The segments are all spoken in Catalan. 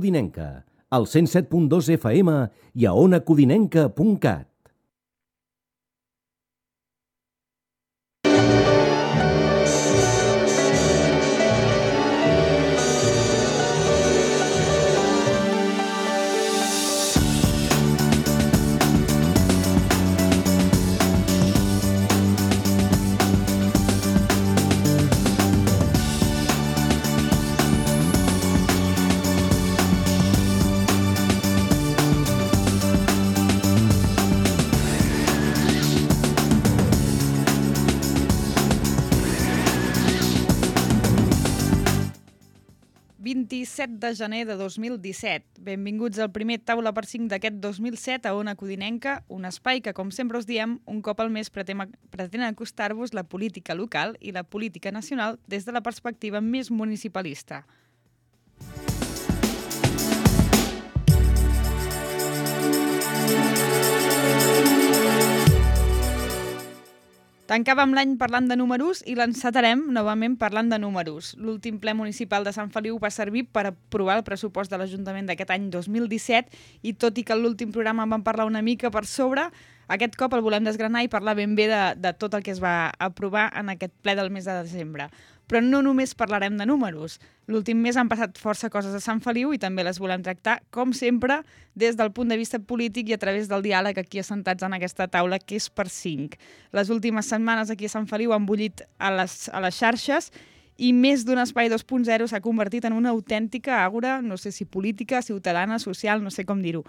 Codinenca, al 107.2 FM i a onacodinenca.cat. De gener de 2017. Benvinguts al primer Taula per 5 d'aquest 2007 a Ona Codinenca, un espai que, com sempre us diem, un cop al mes pretén acostar-vos la política local i la política nacional des de la perspectiva més municipalista. Tancàvem l'any parlant de números i l'encetarem novament parlant de números. L'últim ple municipal de Sant Feliu va servir per aprovar el pressupost de l'Ajuntament d'aquest any 2017 i tot i que en l'últim programa en vam parlar una mica per sobre, aquest cop el volem desgranar i parlar ben bé de tot el que es va aprovar en aquest ple del mes de desembre. Però no només parlarem de números. L'últim mes han passat força coses a Sant Feliu i també les volem tractar, com sempre, des del punt de vista polític i a través del diàleg aquí assentats en aquesta taula, que és per 5. Les últimes setmanes aquí a Sant Feliu han bullit a les xarxes i més d'un espai 2.0 s'ha convertit en una autèntica àgora, no sé si política, ciutadana, social, no sé com dir-ho.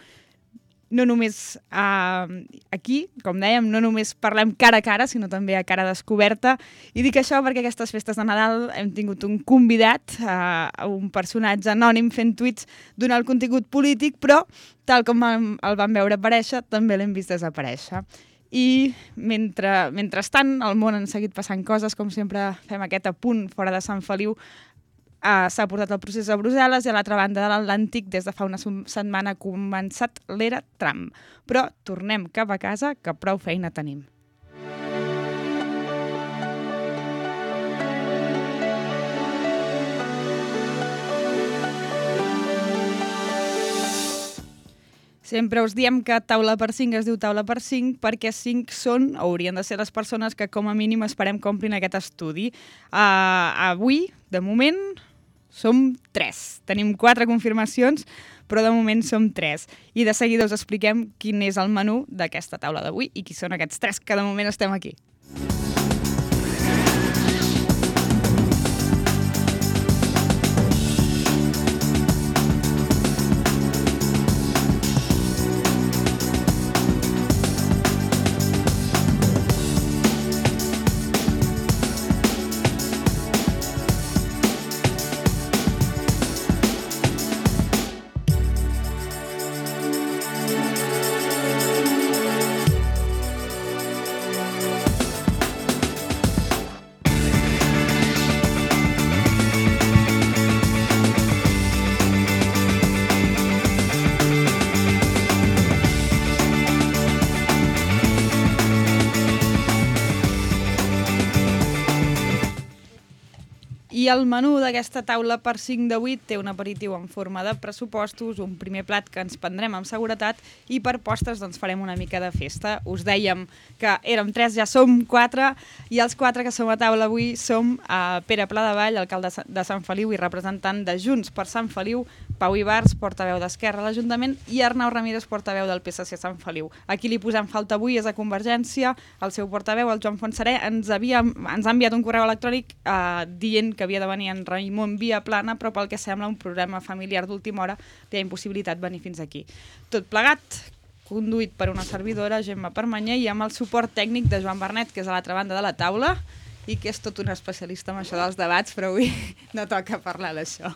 No només aquí, com dèiem, no només parlem cara a cara, sinó també a cara descoberta. I dic això perquè aquestes festes de Nadal hem tingut un convidat, un personatge anònim fent tuits donant el contingut polític, però tal com el vam veure aparèixer, també l'hem vist desaparèixer. I mentrestant, al món han seguit passant coses, com sempre fem aquest apunt fora de Sant Feliu. S'ha portat el procés a Brussel·les i a l'altra banda de l'Atlàntic des de fa una setmana ha començat l'era Trump. Però tornem cap a casa, que prou feina tenim. Sempre us diem que Taula per 5 es diu Taula per 5 perquè 5 són, o haurien de ser les persones que com a mínim esperem que omplin aquest estudi. Avui, de moment, som 3. Tenim 4 confirmacions, però de moment som 3. I de seguida us expliquem quin és el menú d'aquesta taula d'avui i qui són aquests 3 que de moment estem aquí. I el menú d'aquesta taula per 5 d'avui té un aperitiu en forma de pressupostos, un primer plat que ens prendrem amb seguretat i per postres doncs farem una mica de festa. Us dèiem que érem 3, ja som 4 i els 4 que som a taula avui som Pere Pladevall, alcalde de Sant Feliu i representant de Junts per Sant Feliu, Pau Ibars, portaveu d'Esquerra a l'Ajuntament i Arnau Ramírez, portaveu del PSC a Sant Feliu. Aquí li posem falta avui és a Convergència, el seu portaveu, el Joan Fontserè, ens ha enviat un correu electrònic dient que havia de venir en Raimon Viaplana, però pel que sembla un problema familiar d'última hora li ha impossibilitat venir fins aquí. Tot plegat, conduït per una servidora, Gemma Permanyer, i amb el suport tècnic de Joan Bernet, que és a l'altra banda de la taula, i que és tot un especialista en això dels debats, però avui no toca parlar d'això.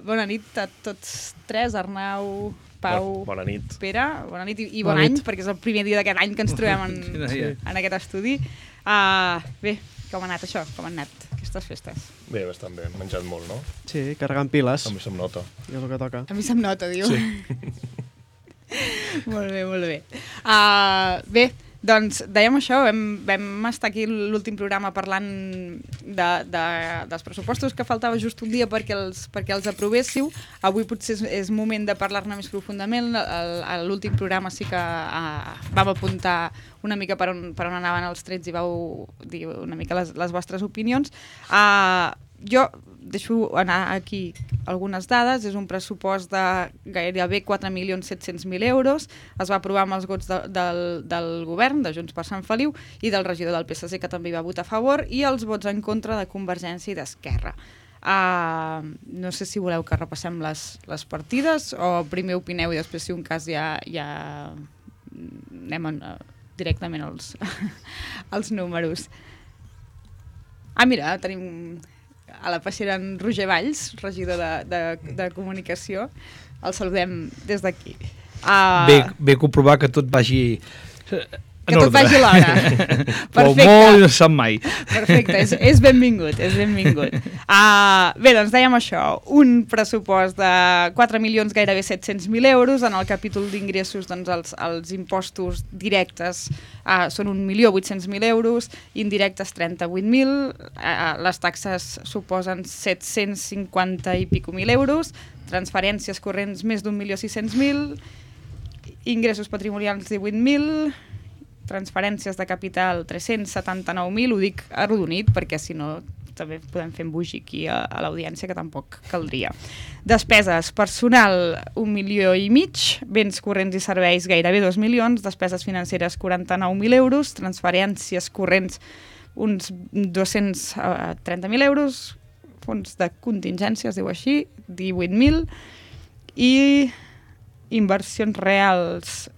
Bona nit a tots 3, Arnau, Pau, bona nit. Pere, bona nit i bon any, perquè és el primer dia d'aquest any que ens trobem en aquest estudi. Bé, com ha anat això? Com han anat aquestes festes? Bé, bastant bé. Hem menjat molt, no? Sí, carregant piles. A mi se'm nota. I és el que toca. A mi se'm nota, diu. Sí. Molt bé, molt bé. Bé, Doncs dèiem això, vam estar aquí l'últim programa parlant dels pressupostos, que faltava just un dia perquè els aprovessiu. Avui potser és moment de parlar-ne més profundament. A l'últim programa sí que vam apuntar una mica per on anaven els trets i vau dir una mica les vostres opinions. Jo deixo anar aquí algunes dades. És un pressupost de gairebé 4.700.000 euros. Es va aprovar amb els vots del govern, de Junts per Sant Feliu, i del regidor del PSC, que també hi va votar a favor, i els vots en contra de Convergència i d'Esquerra. No sé si voleu que repassem les partides o primer opineu i després, si un cas, ja anem directament als números. Mira, tenim a la passera en Roger Valls, regidor de comunicació. El saludem des d'aquí. Bé comprovar que tot vagi que tot vagi a l'hora. Perfecte. Molt no se sap mai. Perfecte, és benvingut, és benvingut. Bé, doncs dèiem això, un pressupost de 4.000.000, gairebé 700.000 euros. En el capítol d'ingressos, doncs, els impostos directes són 1.800.000 euros, indirectes 38.000, les taxes suposen 750 i pico mil euros, transferències corrents més d'1.600.000, ingressos patrimonials 18.000, transferències de capital 379.000, ho dic arrodonit perquè si no també podem fer embogir aquí a l'audiència, que tampoc caldria. Despeses: personal 1,5 milions, béns corrents i serveis gairebé 2 milions, despeses financeres 49.000 euros, transferències corrents uns 230.000 euros, fons de contingència, es diu així, 18.000, i inversions reals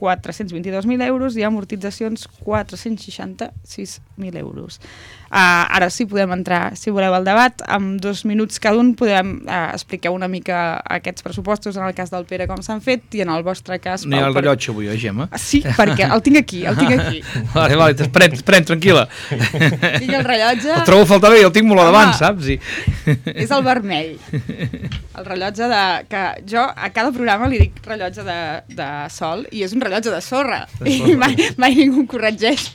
422.000 euros i amortitzacions 466.000 euros. Ara sí podem entrar, si voleu, al debat. En 2 minuts cada un podem explicar una mica aquests pressupostos, en el cas del Pere, com s'han fet, i en el vostre cas... No hi ha el rellotge avui, Gemma? Sí, perquè el tinc aquí, Vale, pren, tranquil·la. Tinc el rellotge... El trobo a faltar bé, el tinc molt a davant, saps? És el vermell. El rellotge que jo a cada programa li dic rellotge de sol, i és un rellotge de sorra. I mai ningú corregeix.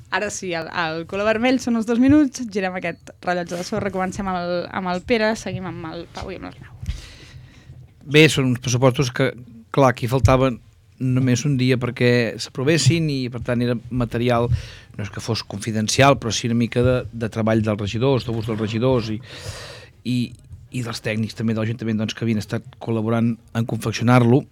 Ara sí, el color vermell són els 2 minuts, girem aquest rellotge de sorra, comencem amb el Pere, seguim amb el Pau i amb l'Arnau. Bé, són uns pressupostos que, clar, aquí faltaven només un dia perquè s'aprovessin i, per tant, era material, no és que fos confidencial, però sí una mica de treball dels regidors, de gust dels regidors i dels tècnics també de l'Ajuntament, doncs, que havien estat col·laborant en confeccionar-lo,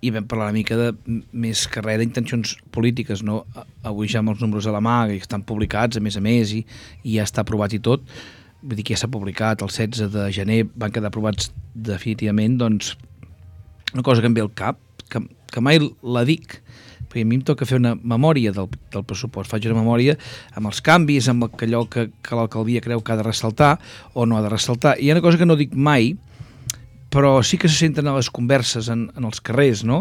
i vam parlar una mica de més carrer d'intencions polítiques, no? Avui ja amb els números a la mà, que estan publicats, a més, i ja està aprovat i tot. Vull dir que ja s'ha publicat, el 16 de gener van quedar aprovats definitivament, doncs, una cosa que em ve al cap, que mai la dic, perquè a mi em toca fer una memòria del pressupost. Faig una memòria amb els canvis, amb allò que l'alcaldia creu que ha de ressaltar o no ha de ressaltar. I hi ha una cosa que no dic mai, però sí que se senten a les converses en els carrers, no?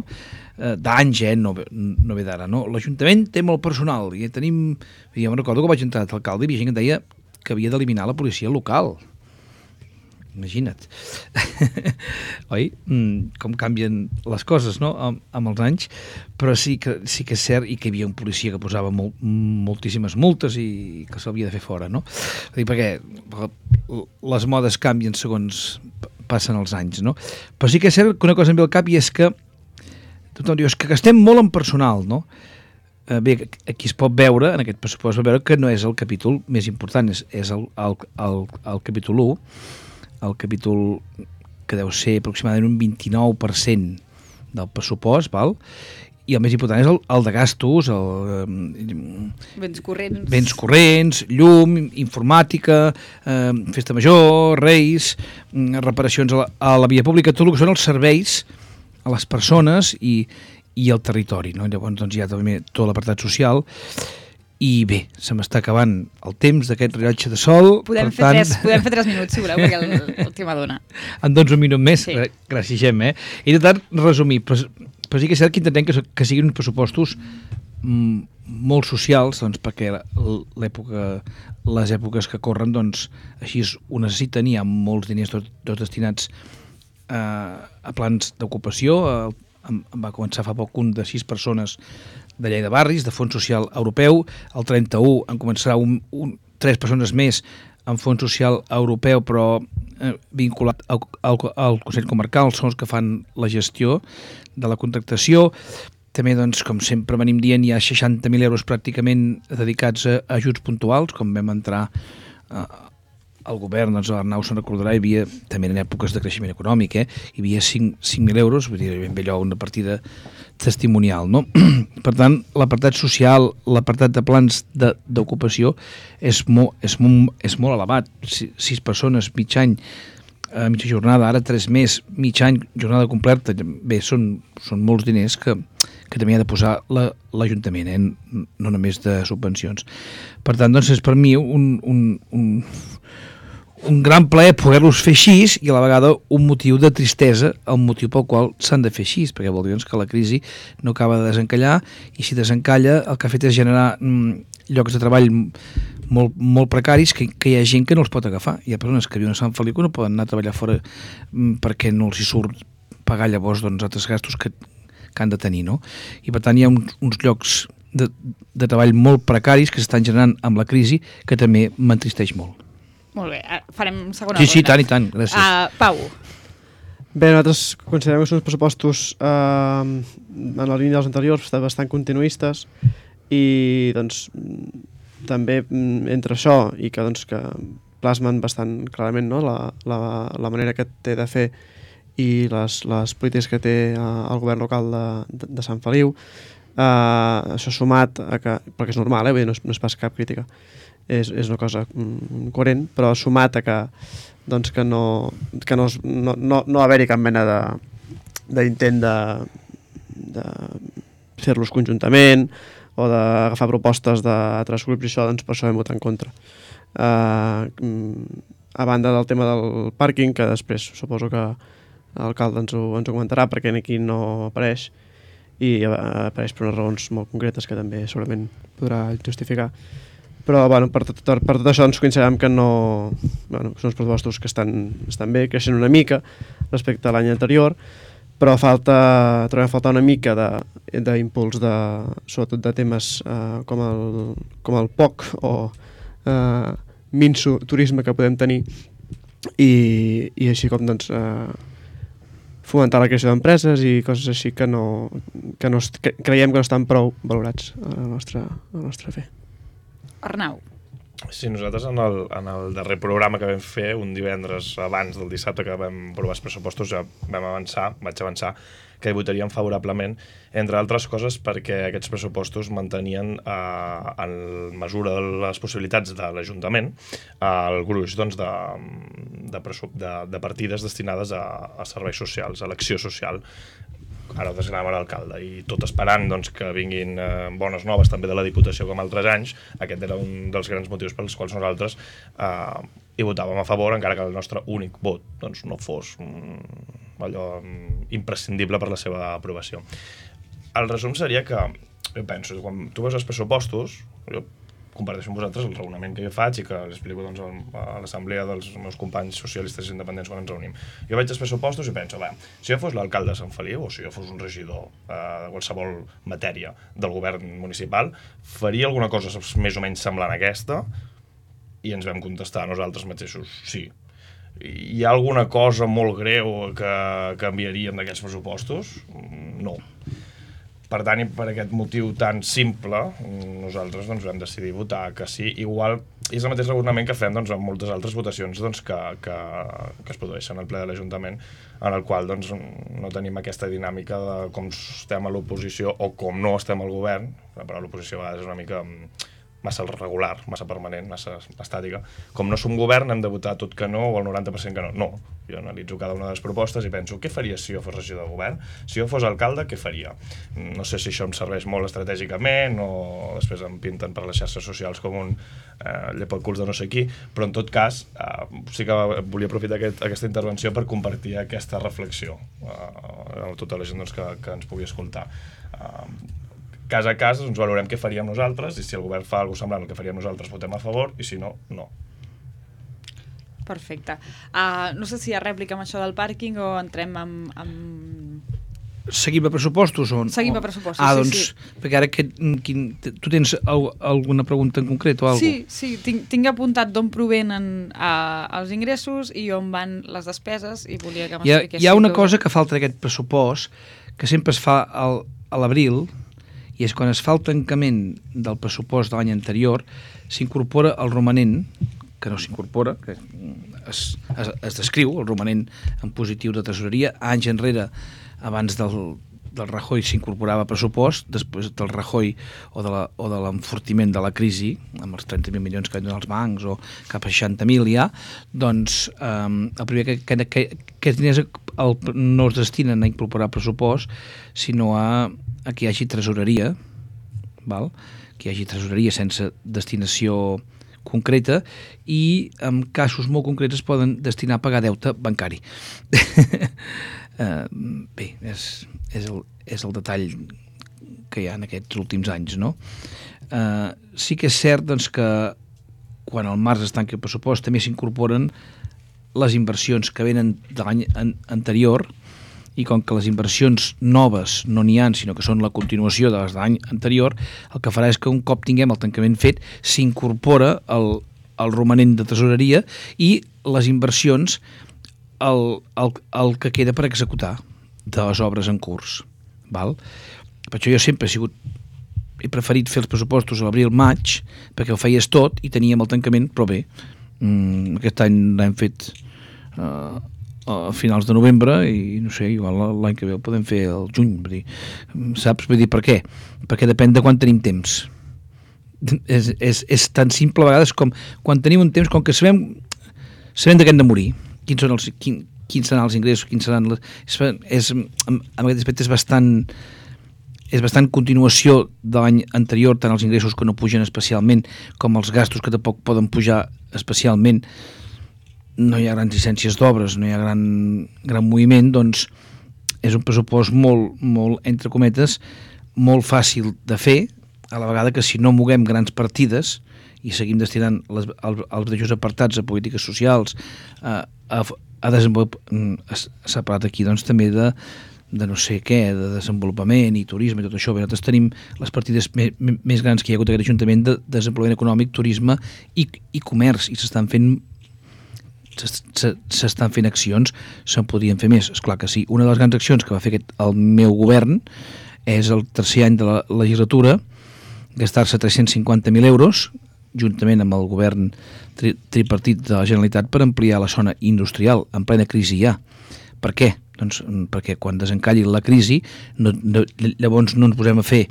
D'anys, no ve d'ara, no? L'Ajuntament té molt personal i tenim... Jo me'n recordo que vaig entrar d'alcalde i hi havia gent que deia que havia d'eliminar la policia local. Imagina't. Oi? Com canvien les coses, no? Amb els anys, però sí que és cert, i que hi havia un policia que posava moltíssimes multes i que s'havia de fer fora, no? Perquè les modes canvien segons passen els anys, no? Però sí que és cert que una cosa em ve al cap i és que tothom diu, és que gastem molt en personal, no? Bé, aquí es pot veure, en aquest pressupost, es pot veure que no és el capítol més important, és el capítol 1, el capítol que deu ser aproximadament un 29% del pressupost, val? I el més important és el de gastos, béns corrents, llum, informàtica, festa major, reis, reparacions a la via pública, tot el que són els serveis a les persones i al territori, no? Llavors doncs, hi ha també tot l'apartat social. I bé, se m'està acabant el temps d'aquest rellotge de sol. Podem fer 3 minuts, si voleu, perquè el tema dona. En doncs un minut més? Sí. Gràcies, Gemma. He intentat resumir, però sí que és cert que intentem que siguin uns pressupostos molt socials, doncs, perquè les èpoques que corren, doncs, així ho necessiten, hi ha molts diners tots destinats a plans d'ocupació. Va començar fa poc un de 6 persones de llei de barris, de Fons Social Europeu. El 31 en començarà 3 persones més en Fons Social Europeu, però vinculat al Consell Comarcal, són els que fan la gestió de la contractació. També, doncs, com sempre venim dient, hi ha 60.000 euros pràcticament dedicats a ajuts puntuals, com vam entrar al govern, doncs l'Arnau se'n recordarà, hi havia, també en èpoques de creixement econòmic, hi havia 5.000 euros, vull dir, ben bé allò, una partida testimonial, no? Per tant, l'apartat social, l'apartat de plans d'ocupació és molt elevat. 6 persones, mig any, mitja jornada, ara 3 més, mig any, jornada completa, bé, són molts diners que també ha de posar l'Ajuntament, no només de subvencions. Per tant, doncs, és per mi un gran plaer poder-los fer així i a la vegada un motiu de tristesa, el motiu pel qual s'han de fer així, perquè vol dir que la crisi no acaba de desencallar i si desencalla el que ha fet és generar llocs de treball molt precaris que hi ha gent que no els pot agafar. Hi ha persones que viuen a Sant Feliu que no poden anar a treballar fora perquè no els hi surt pagar llavors altres gastos que han de tenir, no? I per tant hi ha uns llocs de treball molt precaris que s'estan generant amb la crisi que també m'entristeix molt. Molt bé, farem segona ronda. Sí, i tant, gràcies. Pau. Bé, nosaltres considerem que són uns pressupostos en la línia dels anteriors bastant continuistes i doncs també entre això i que plasmen bastant clarament, no, la manera que té de fer i les polítiques que té el govern local de Sant Feliu, això sumat a que, perquè és normal, vull dir, no és pas cap crítica, és una cosa coherent, però sumat a que no haver-hi cap mena d'intent de fer-los conjuntament o d'agafar propostes d'altres grups i això, doncs per això vam votar en contra. A banda del tema del pàrquing, que després suposo que l'alcalde ens ho comentarà perquè aquí no apareix i apareix per unes raons molt concretes que també segurament podrà justificar. Però per tot això ens considerem que són uns pressupostos que estan bé, creixen una mica respecte a l'any anterior, però trobem a faltar una mica d'impuls sobretot de temes com el POC o minso turisme que podem tenir i així com fomentar la creació d'empreses i coses així que creiem que no estan prou valorats a la nostra fe. Arnau. Sí, nosaltres en el darrer programa que vam fer, un divendres abans del dissabte que vam aprovar els pressupostos, ja vaig avançar que hi votaríem favorablement, entre altres coses perquè aquests pressupostos mantenien en mesura de les possibilitats de l'Ajuntament el gruix de partides destinades a serveis socials, a l'acció social. Ara ho desgranava l'alcalde i tot esperant que vinguin bones noves també de la Diputació com altres anys. Aquest era un dels grans motius pels quals nosaltres hi votàvem a favor, encara que el nostre únic vot no fos allò imprescindible per la seva aprovació. El resum seria que, jo penso, quan tu veus els pressupostos, jo comparteixo amb vosaltres el raonament que jo faig i que l'explico a l'assemblea dels meus companys socialistes i independents quan ens reunim. Jo veig els pressupostos i penso, si jo fos l'alcalde de Sant Feliu o si jo fos un regidor de qualsevol matèria del govern municipal, faria alguna cosa més o menys semblant a aquesta i ens vam contestar nosaltres mateixos, sí. Hi ha alguna cosa molt greu que canviaríem d'aquests pressupostos? No. Per tant, i per aquest motiu tan simple, nosaltres vam decidir votar que sí. Igual és el mateix raonament que fem amb moltes altres votacions que es produeixen al ple de l'Ajuntament, en el qual no tenim aquesta dinàmica de com estem a l'oposició o com no estem al govern, però l'oposició a vegades és una mica massa regular, massa permanent, massa estàtica. Com no som govern, hem de votar tot que no o el 90% que no. No. Jo analitzo cada una de les propostes i penso, què faria si jo fos regidor de govern? Si jo fos alcalde, què faria? No sé si això em serveix molt estratègicament o després em pinten per les xarxes socials com un llepaculs de no sé qui, però en tot cas sí que volia aprofitar aquesta intervenció per compartir aquesta reflexió a tota la gent que ens pugui escoltar. Cas a cas ens valorem què faríem nosaltres i si el govern fa alguna cosa semblant al que faríem nosaltres votem a favor i si no, no. Perfecte. No sé si hi ha rèplica amb això del pàrquing o entrem amb seguim a pressupostos? Seguim a pressupostos, doncs, perquè ara tu tens alguna pregunta en concret o alguna cosa? Sí, tinc apuntat d'on provenen els ingressos i on van les despeses i volia que m'expliquéssiu. Hi ha una cosa que falta d'aquest pressupost, que sempre es fa a l'abril, i és quan es fa el tancament del pressupost de l'any anterior, s'incorpora el romanent, que no s'incorpora, que es descriu, el romanent en positiu de tresoreria. Anys enrere, abans del Rajoy s'incorporava pressupost, després del Rajoy o de l'enfortiment de la crisi, amb els 30.000 milions que han donat els bancs o cap a 60.000 ja, doncs el primer que diners no es destinen a incorporar pressupost, sinó a que hi hagi tresoreria, val? Que hi hagi tresoreria sense destinació concreta, i en casos molt concrets es poden destinar a pagar deute bancari. Bé, és el detall que hi ha en aquests últims anys, no? Sí que és cert doncs, que quan al març es tanca el pressupost també s'incorporen les inversions que venen de l'any anterior, i com que les inversions noves no n'hi ha, sinó que són la continuació de les de l'any anterior, el que farà és que un cop tinguem el tancament fet s'incorpora el romanent de tresoreria i les inversions el que queda per executar de les obres en curs, val? Per això jo sempre he preferit fer els pressupostos a l'abril-maig, perquè ho feies tot i teníem el tancament, però bé, aquest any l'hem fet a finals de novembre i no sé, igual l'any que ve el podem fer al juny, saps? Vull dir, per què? Perquè depèn de quan tenim temps. És tan simple a vegades com quan tenim un temps, com que sabem de què hem de morir, quins seran els ingressos, quins seran en aquest aspecte és bastant continuació de l'any anterior, tant els ingressos que no pugen especialment com els gastos que tampoc poden pujar especialment. No hi ha grans llicències d'obres, no hi ha gran moviment, doncs és un pressupost molt, entre cometes, molt fàcil de fer, a la vegada que si no moguem grans partides i seguim destinant els mateixos apartats a polítiques socials, a desenvolupament, s'ha parlat aquí doncs també de no sé què, de desenvolupament i turisme i tot això. Bé, nosaltres tenim les partides més grans que hi ha hagut a aquest Ajuntament de desenvolupament econòmic, turisme i comerç, i s'estan fent accions, se'n podrien fer més, esclar que sí. Una de les grans accions que va fer el meu govern és el tercer any de la legislatura gastar-se 350.000 euros juntament amb el govern tripartit de la Generalitat per ampliar la zona industrial en plena crisi ja. Per què? Doncs perquè quan desencalli la crisi llavors no ens posem a fer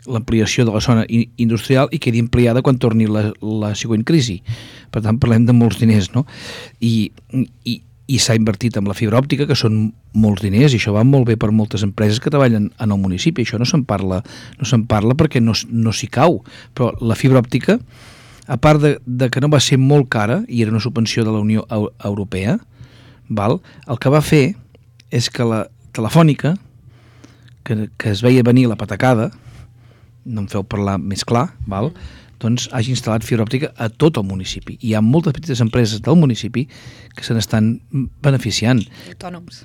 l'ampliació de la zona industrial i quedi ampliada quan torni la següent crisi. Per tant, parlem de molts diners, no? I s'ha invertit en la fibra òptica, que són molts diners, i això va molt bé per moltes empreses que treballen en el municipi. Això no se'n parla perquè no s'hi cau. Però la fibra òptica, a part de que no va ser molt cara, i era una subvenció de la Unió Europea, val? El que va fer és que la Telefònica, que es veia venir la patacada, no em feu parlar més clar, val? Doncs hagi instal·lat fibra òptica a tot el municipi. Hi ha moltes petites empreses del municipi que se n'estan beneficiant. Autònoms.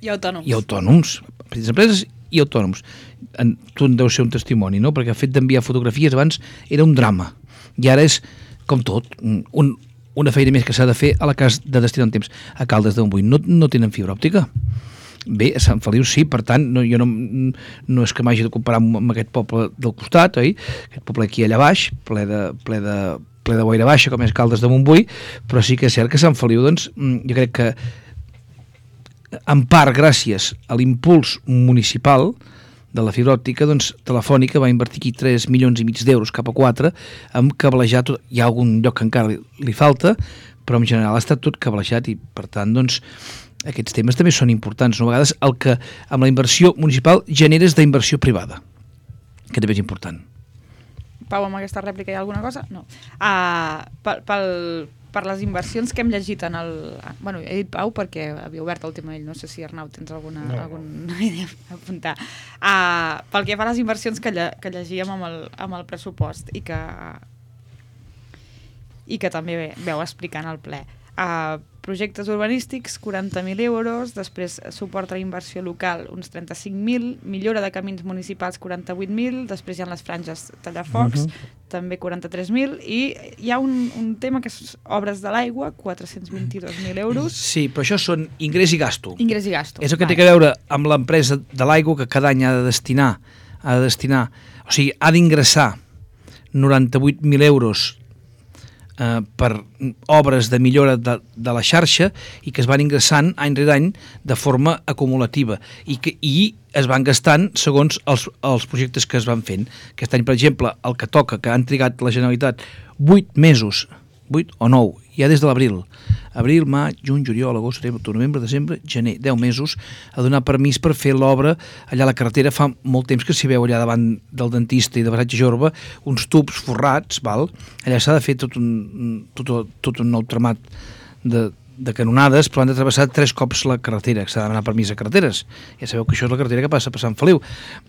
I autònoms. Petites empreses i autònoms. Tu en deu ser un testimoni, no? Perquè el fet d'enviar fotografies abans era un drama. I ara és, com tot, una feina més que s'ha de fer a la cas de destinar un temps. A Caldes de Montbui no tenen fibra òptica. Bé, a Sant Feliu sí, per tant, jo no és que m'hagi de comparar amb aquest poble del costat, oi? Aquest poble aquí allà baix, ple de boira baixa, com és Caldes de Montbui, però sí que és cert que Sant Feliu, doncs, jo crec que en part gràcies a l'impuls municipal de la fibra òptica, doncs Telefònica va invertir aquí 3,5 milions d'euros cap a 4 amb cablejar tot. Hi ha algun lloc que encara li falta, però en general ha estat tot cablejat i per tant, doncs, aquests temes també són importants. No? A vegades el que amb la inversió municipal generes d'inversió privada, que també és important. Pau, amb aquesta rèplica hi ha alguna cosa? No. Per les inversions que hem llegit en el... Bueno, he dit Pau perquè havia obert el tema ell, no sé si Arnau tens alguna idea a apuntar. Pel que fa a les inversions que llegíem amb el pressupost i que també veu explicant al ple. projectes urbanístics, 40.000 euros, després suport a la inversió local, uns 35.000, millora de camins municipals, 48.000, després hi ha les franges tallafocs, també 43.000, i hi ha un tema que és obres de l'aigua, 422.000 euros. Sí, però això són ingrés i gasto. Ingrés i gasto. És el que té a veure amb l'empresa de l'aigua que cada any ha de destinar, o sigui, ha d'ingressar 98.000 euros per obres de millora de la xarxa i que es van ingressant any rere any de forma acumulativa i es van gastant segons els projectes que es van fent. Aquest any, per exemple, el que toca, que han trigat la Generalitat 8 mesos, 8 o 9, ja des de l'abril, maig, juny, juliol, agost, setembre, octubre, novembre, desembre, gener, 10 mesos a donar permís per fer l'obra allà a la carretera. Fa molt temps que s'hi veu allà davant del dentista i de Baratge Jorba uns tubs forrats, val? Allà s'ha de fer tot un nou tramat de canonades, però han de travessar 3 cops la carretera, que s'ha de demanar permís a carreteres. Ja sabeu que això és la carretera que passa per Sant Feliu.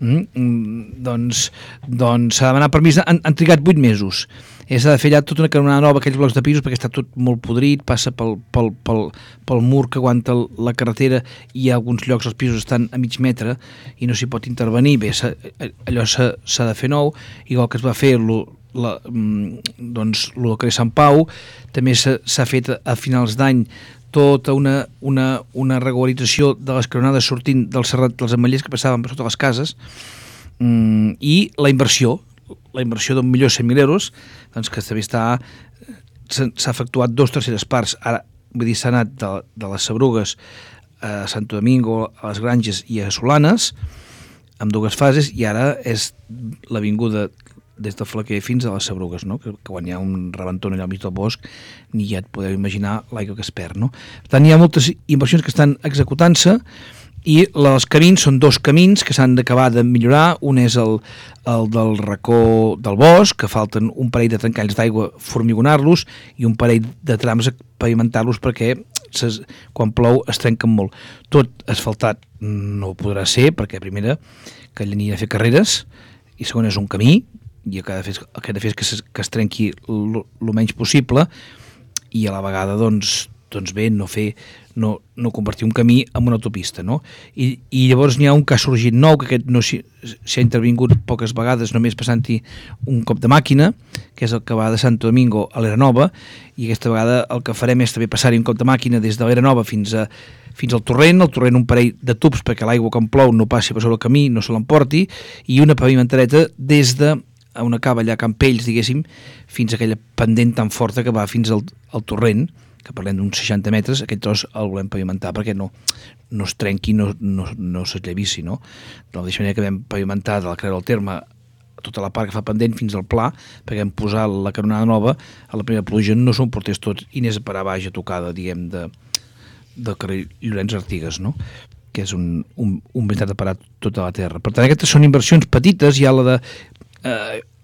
Doncs s'ha de demanar permís, han trigat 8 mesos. S'ha de fer allà tota una canonada nova, aquells blocs de pisos, perquè està tot molt podrit, passa pel mur que aguanta la carretera i a alguns llocs els pisos estan a mig metre i no s'hi pot intervenir. Bé, allò s'ha de fer nou, igual que es va fer doncs el carrer Sant Pau, també s'ha fet a finals d'any tota una regularització de les canonades sortint del Serrat dels Ametllers que passaven per sota les cases, i la inversió d'1.100.000 euros, doncs que també s'ha efectuat 2/3 parts. Ara, vull dir, s'ha anat de les Sabrugues a Santo Domingo, a les Granges i a Solanes, amb 2 fases, i ara és l'avinguda des del Flaquer fins a les Sabrugues, no? Que quan hi ha un rebentó allà al mig del bosc, ni ja et podeu imaginar l'aigua que es perd, no? Per tant, hi ha moltes inversions que estan executant-se, i els camins són 2 camins que s'han d'acabar de millorar. Un és el del racó del bosc, que falten un parell de trencalls d'aigua, formigonar-los, i un parell de trams a pavimentar-los perquè quan plou es trenquen molt. Tot asfaltat no podrà ser, perquè primera, que allà n'hi ha de fer carreres, i segona és un camí, i el que ha de fer és que es trenqui el menys possible, i a la vegada doncs bé, no convertir un camí en una autopista, no? I llavors n'hi ha un que ha sorgit nou, que aquest no s'hi ha intervingut poques vegades, només passant-hi un cop de màquina, que és el que va de Santo Domingo a l'Era Nova, i aquesta vegada el que farem és també passar-hi un cop de màquina des de l'Era Nova fins al torrent un parell de tubs perquè l'aigua quan plou no passi per sobre el camí, no se l'emporti, i una pavimentareta des de una cava allà a Campells, diguéssim, fins a aquella pendent tan forta que va fins al torrent, que parlem d'uns 60 metres, aquest tros el volem pavimentar perquè no es trenqui, no s'esllavissi, no? De la mateixa manera que vam pavimentar de la Creu del Terme tota la part que fa pendent fins al Pla, perquè vam posar la canonada nova, a la primera pluja no s'ho emportés tot i anés a parar baix a tocada, diguem, del carrer Llorenç Artigas, no? Que és un veritat de parar tota la terra. Per tant, aquestes són inversions petites, hi ha la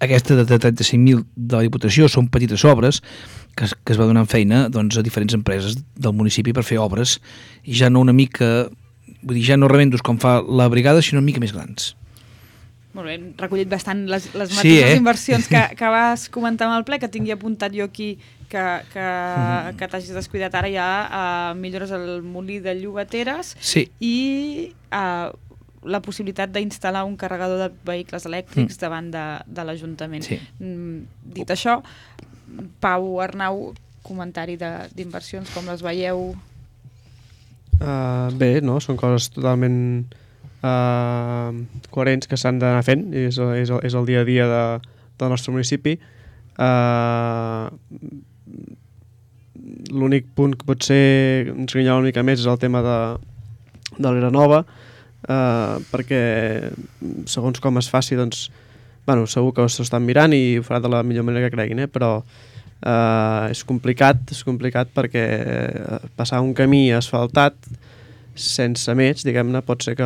aquesta de 35.000 de la Diputació, són petites obres que es va donant feina doncs, a diferents empreses del municipi per fer obres, i ja no una mica, vull dir, ja no remendos com fa la brigada, sinó una mica més grans. Molt bé, recollit bastant les mateixes inversions que vas comentar amb el ple, que tingui apuntat jo aquí que t'hagis descuidat ara ja, millores al molí de Llobateres, i la possibilitat d'instal·lar un carregador de vehicles elèctrics davant de l'Ajuntament. Dit això, Pau, Arnau, comentari d'inversions, com les veieu? Bé, no? Són coses totalment coherents que s'han d'anar fent, és el dia a dia del nostre municipi. L'únic punt que potser ens grinyola una mica més és el tema de l'Era Nova, perquè segons com es faci, doncs, bueno, segur que s'ho estan mirant i ho farà de la millor manera que creguin, però és complicat perquè passar un camí asfaltat sense més, diguem-ne, pot ser que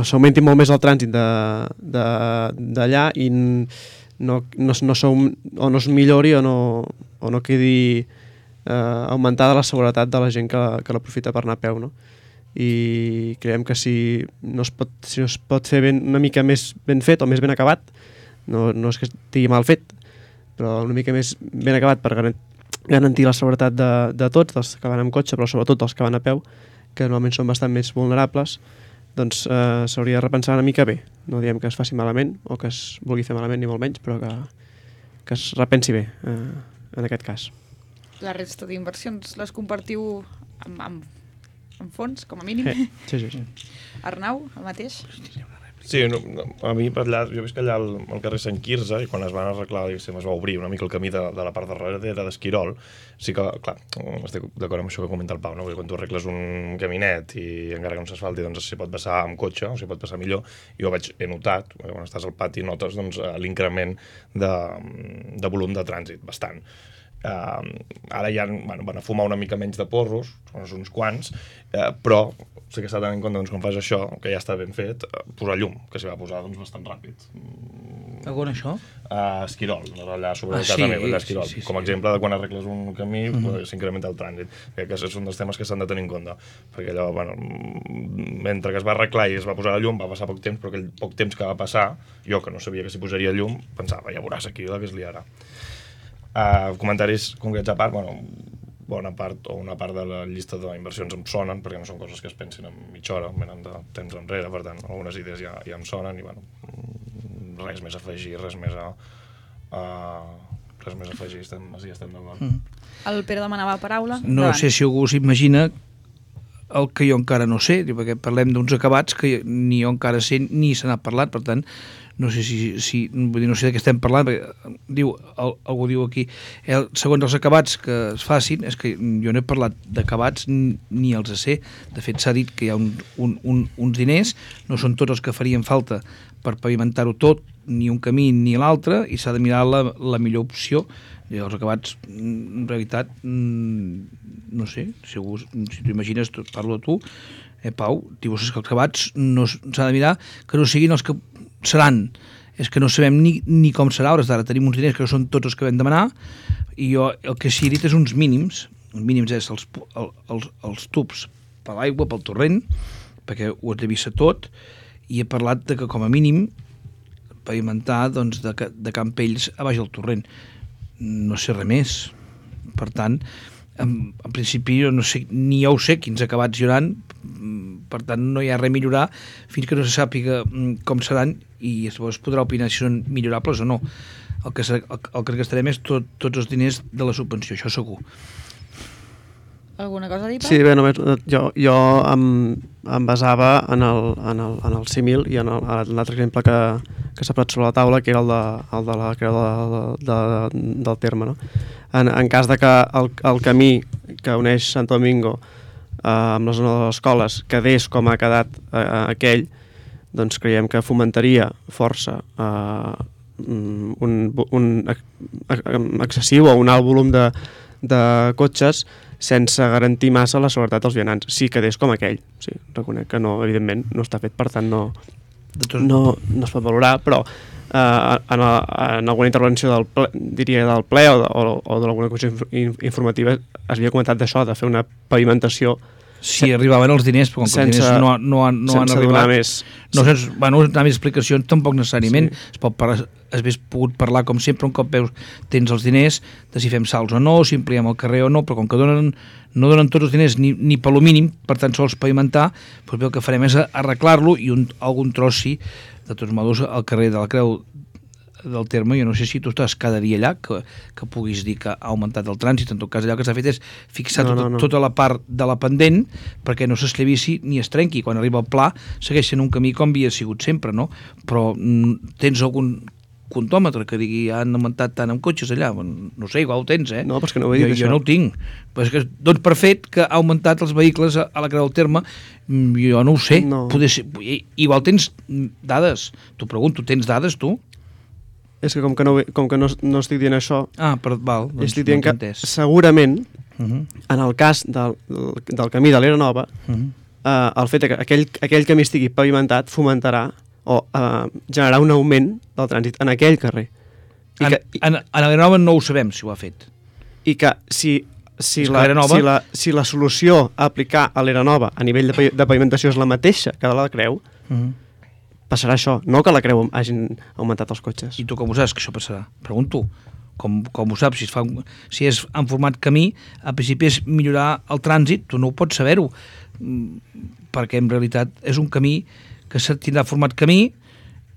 s'augmenti molt més el trànsit d'allà i no es millori o no quedi augmentada la seguretat de la gent que l'aprofita per anar a peu, no? I creiem que si no es pot fer una mica més ben fet o més ben acabat, no és que estigui mal fet, però una mica més ben acabat per garantir la seguretat de tots, dels que van amb cotxe, però sobretot dels que van a peu, que normalment són bastant més vulnerables, doncs s'hauria de repensar una mica bé. No diem que es faci malament o que es vulgui fer malament ni molt menys, però que es repensi bé en aquest cas. La resta d'inversions les compartiu amb fons, com a mínim? Sí. Arnau, el mateix? Sí, a mi per allà, jo visc allà al carrer Sant Quirze, i quan es van arreglar, es va obrir una mica el camí de la part darrere d'Esquirol, sí que, clar, estic d'acord amb això que comenta el Pau, no? Perquè quan tu arregles un caminet i encara que no s'asfalti, doncs s'hi pot passar amb cotxe, o s'hi pot passar millor. Jo he notat, quan estàs al pati notes doncs, l'increment de volum de trànsit, bastant. Ara ja van a fumar una mica menys de porros, són uns quants, però sí que s'ha de tenir en compte, doncs, quan fas això, que ja està ben fet, posar llum, que s'hi va posar doncs, bastant ràpid. On això? Esquirol, allà sobre casa meva, allà Esquirol. Com a exemple de quan arregles un camí, s'incrementa el trànsit. Crec que és un dels temes que s'han de tenir en compte, perquè allò, mentre que es va arreglar i es va posar la llum, va passar poc temps, però aquell poc temps que va passar, jo que no sabia que s'hi posaria llum, pensava, ja veuràs aquí la que es liarà. Comentaris concrets a part, una part de la llista d'inversions em sonen, perquè no són coses que es pensin en mitja hora, venen de temps enrere, per tant, algunes idees ja em sonen i, res més a afegir, res més a afegir, estem d'acord. El Pere demanava paraula. No sé si algú s'imagina el que jo encara no sé, perquè parlem d'uns acabats que ni jo encara sé ni se n'ha parlat, per tant, no sé no sé de què estem parlant, perquè algú diu aquí, segons els acabats que es facin, és que jo no he parlat d'acabats ni els sé. De fet, s'ha dit que hi ha uns diners, no són tots els que farien falta per pavimentar-ho tot, ni un camí ni l'altre, i s'ha de mirar la millor opció. I els acabats, en realitat, no sé, si t'ho imagines, parlo de tu, Pau, dius que els acabats s'ha de mirar que no siguin els que seran. És que no sabem ni com serà, hores d'ara tenim uns diners que no són tots els que vam demanar, i jo el que sí he dit és uns mínims. Els mínims és els tubs per l'aigua, pel torrent, perquè ho has de vista tot, i he parlat de que com a mínim pavimentar doncs, de Campells a baix del torrent. No sé res més. Per tant, en principi no sé, ni jo ho sé quins acabats hi hauran, per tant no hi ha res a millorar fins que no se sàpiga com seran, i llavors es podrà opinar si són millorables o no. El que gastarem és tots els diners de la subvenció, això segur. Alguna cosa a dir, Pau? Sí, bé, només jo em basava en el símil i en l'altre exemple que s'ha posat sobre la taula, que era el de la creu del terme, no? En cas de que el camí que uneix Santo Domingo amb la zona de les escoles quedés com ha quedat aquell, doncs creiem que fomentaria força un excessiu o un alt volum de cotxes sense garantir massa la seguretat dels vianants, si quedés com aquell. Sí, reconec que no, evidentment no està fet, per tant no es pot valorar, però en alguna intervenció del ple o d'alguna comissió informativa es havia comentat d'això, de fer una pavimentació. Sí, arribaven els diners, però com que els diners no han arribat, sense donar més explicacions tampoc necessàriment. Sí. Hauria pogut parlar com sempre, un cop tens els diners, de si fem salts o no, si ampliem el carrer o no, però com que no donen tots els diners ni per lo mínim, per tan sols pavimentar, doncs el que farem és arreglar-lo, i algun tros sí. De tots modos, al carrer de la Creu del Terme, jo no sé si tu estàs cada dia allà, que puguis dir que ha augmentat el trànsit. En tot cas, allò que s'ha fet és fixar tota la part de la pendent perquè no s'esclavissi ni es trenqui. Quan arriba el pla, segueix sent un camí com havia sigut sempre, no? Però tens algun contòmetre que digui han augmentat tant amb cotxes allà? No sé, igual ho tens, eh? No, però és que no ho he dit, jo no ho tinc. Però és que dones per fet que ha augmentat els vehicles a la Creu del Terme, jo no ho sé. No. Igual tens dades. T'ho pregunto, tens dades, tu? És que com que no estic dient això, val, doncs estic dient que segurament, en el cas del camí de l'Era Nova, el fet que aquell camí estigui pavimentat fomentarà o generarà un augment del trànsit en aquell carrer. En l'Era Nova no ho sabem si ho ha fet. I que si la solució a aplicar a l'Era Nova a nivell de pavimentació és la mateixa que de la Creu, passarà això, no que la Creu hagin augmentat els cotxes. I tu com ho saps que això passarà? Pregunto. com ho saps, si és en format camí, al principi és millorar el trànsit, tu no ho pots saber-ho, perquè en realitat és un camí que tindrà format camí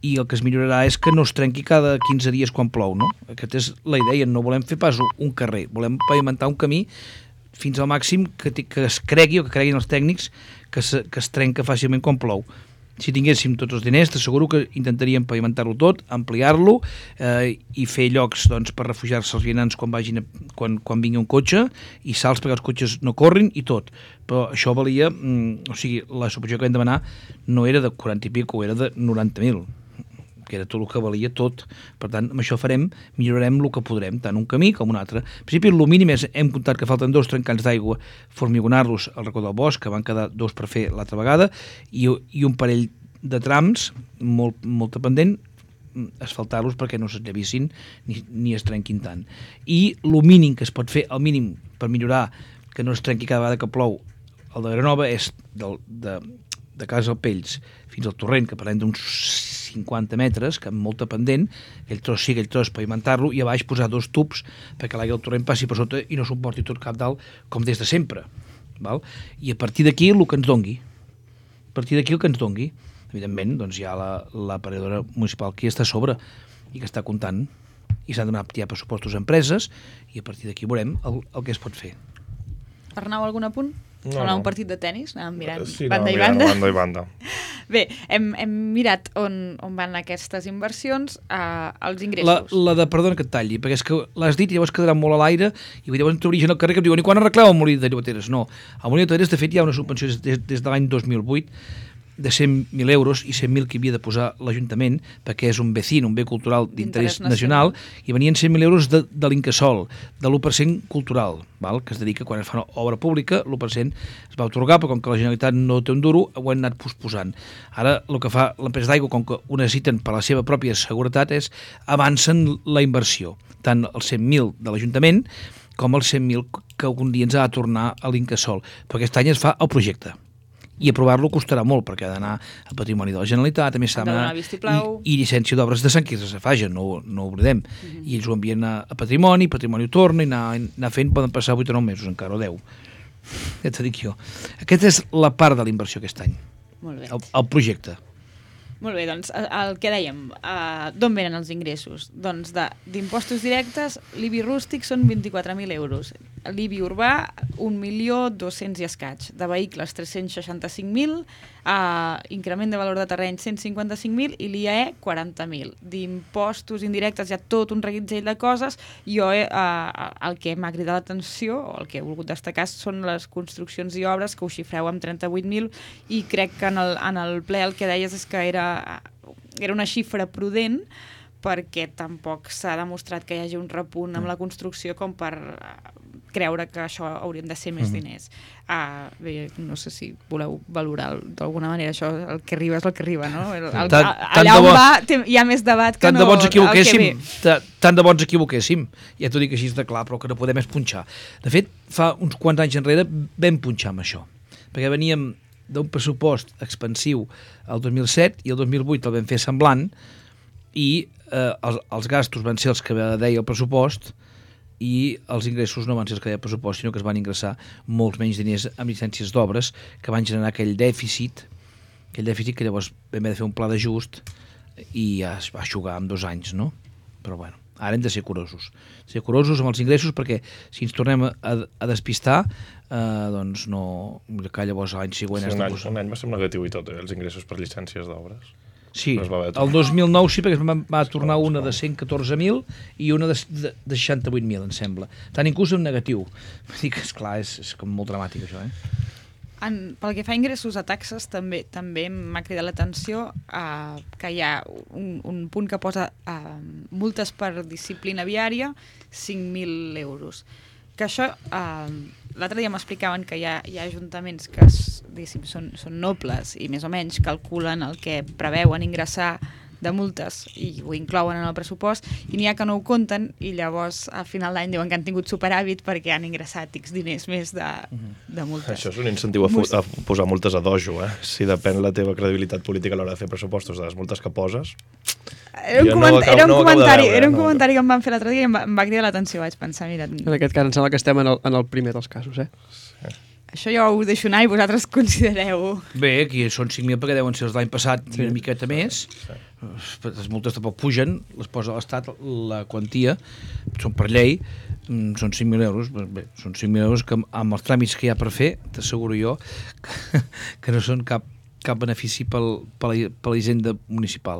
i el que es millorarà és que no es trenqui cada 15 dies quan plou, no? Aquesta és la idea, no volem fer pas un carrer, volem pavimentar un camí fins al màxim que es cregui, o que creguin els tècnics, que es trenca fàcilment quan plou. Si tinguéssim tots els diners, t'asseguro que intentaríem pavimentar-lo tot, ampliar-lo i fer llocs per refugiar-se els vianants quan vingui un cotxe i salts perquè els cotxes no corrin i tot. Però això valia, o sigui, la subvenció que vam demanar no era de 40 i pico, era de 90.000, que era tot el que valia tot. Per tant, amb això millorarem el que podrem, tant un camí com un altre. En principi, el mínim és, hem comptat que falten 2 trencants d'aigua, formigonar-los al racó del bosc, que van quedar 2 per fer l'altra vegada, i un parell de trams, molt pendent, asfaltar-los perquè no s'enllavissin ni es trenquin tant. I el mínim que es pot fer, el mínim per millorar que no es trenqui cada vegada que plou el de Granova, és de Casa Pells fins al torrent, que parlem d'uns 50 metres, que amb molta pendent, aquell tros pavimentar-lo, i a baix posar 2 tubs perquè l'aigua del torrent passi per sota i no s'ho porti tot cap dalt, com des de sempre. Val? I a partir d'aquí el que ens dongui. A partir d'aquí el que ens dongui. Evidentment, doncs hi ha l'aparadora municipal que està a sobre i que està comptant, i s'han donat ja pressupostos a empreses, i a partir d'aquí veurem el que es pot fer. Arnau, algun apunt? Sembla un partit de tennis, anàvem mirant banda i banda. Bé, hem mirat on van aquestes inversions, els ingressos. Perdona que et talli, perquè és que l'has dit i llavors quedarà molt a l'aire i llavors t'origen al carrer que em diuen i quan arregleu el molí de Llobateres? No, al molí de Llobateres de fet hi ha una subvenció des de l'any 2008 de 100.000 euros i 100.000 que havia de posar l'Ajuntament perquè és un vecino, un bé cultural d'interès nacional, i venien 100.000 euros de l'Incasòl, de l'1% cultural, val? Que es dedica quan es fa una obra pública, l'1% es va atorgar, però com que la Generalitat no té un duro, ho han anat posposant. Ara el que fa l'empresa d'aigua, com que ho necessiten per la seva pròpia seguretat, és avancen la inversió, tant els 100.000 de l'Ajuntament com els 100.000 que algun dia ens ha de tornar a l'Incasòl, però aquest any es fa el projecte. I aprovar-lo costarà molt, perquè ha d'anar al Patrimoni de la Generalitat, a més s'ha d'anar i llicència d'obres de Sant Quirze Safaja, no ho oblidem. I ells ho envien a Patrimoni ho torna i anar fent, poden passar 8 o 9 mesos encara, o 10. Ja t'ho dic jo. Aquesta és la part de la inversió aquest any. Molt bé. El projecte. Molt bé, doncs el que dèiem, d'on venen els ingressos? Doncs d'impostos directes, l'IBI rústic són 24.000 euros, l'IBI urbà 1.200.000 i escaig, de vehicles 365.000, increment de valor de terreny 155.000 i l'IAE 40.000. D'impostos indirectes hi ha tot un reguitzell de coses. Jo el que m'ha cridat l'atenció, o el que he volgut destacar, són les construccions i obres, que ho xifreu amb 38.000, i crec que en el ple el que deies és que era una xifra prudent, perquè tampoc s'ha demostrat que hi hagi un repunt amb la construcció com per creure que això haurien de ser més diners. Bé, no sé si voleu valorar d'alguna manera això, el que arriba és el que arriba, no? Allà on va hi ha més debat que no el que ve. Tant de bo ens equivoquéssim, ja t'ho dic així de clar, però el que no podem és punxar. De fet, fa uns quants anys enrere vam punxar amb això, perquè veníem d'un pressupost expansiu el 2007 i el 2008 el vam fer semblant, i els gastos van ser els que deia el pressupost i els ingressos no van ser els que deia el pressupost, sinó que es van ingressar molts menys diners amb llicències d'obres que van generar aquell dèficit que llavors vam haver de fer un pla d'ajust i ja es va eixugar en 2 anys, no? Però bueno, ara hem de ser curosos amb els ingressos, perquè si ens tornem a despistar, doncs no, que llavors l'any següent... Un any va ser negatiu i tot, els ingressos per llicències d'obres. Sí, el 2009 sí, perquè va tornar una de 114.000 i una de 68.000, em sembla. Tant inclús en negatiu. Vull dir que, esclar, és com molt dramàtic, això, Pel que fa a ingressos a taxes, també m'ha cridat l'atenció que hi ha un punt que posa multes per disciplina viària, 5.000 euros. Que això, l'altre dia m'explicaven que hi ha ajuntaments que són nobles i més o menys calculen el que preveuen ingressar de multes i ho inclouen en el pressupost, i n'hi ha que no ho compten i llavors a final d'any diuen que han tingut superàvit perquè han ingressat X diners més de multes. Això és un incentiu a posar multes a dojo, Si depèn la teva credibilitat política a l'hora de fer pressupostos de les multes que poses. Jo no ho acabo de veure, era un no. comentari que em van fer l'altre dia i em va cridar l'atenció. Vaig pensar, mira, En aquest cas em sembla que estem en el primer dels casos, eh? això jo ho deixo anar i vosaltres considereu. Bé, aquí són 5.000 perquè deuen ser els l'any passat i una miqueta més. Les multes tampoc pugen, les posa l'Estat, la quantia, són per llei, són 5.000 euros. Bé, són 5.000 euros que amb els tràmits que hi ha per fer, t'asseguro jo que no són cap benefici per la hisenda municipal.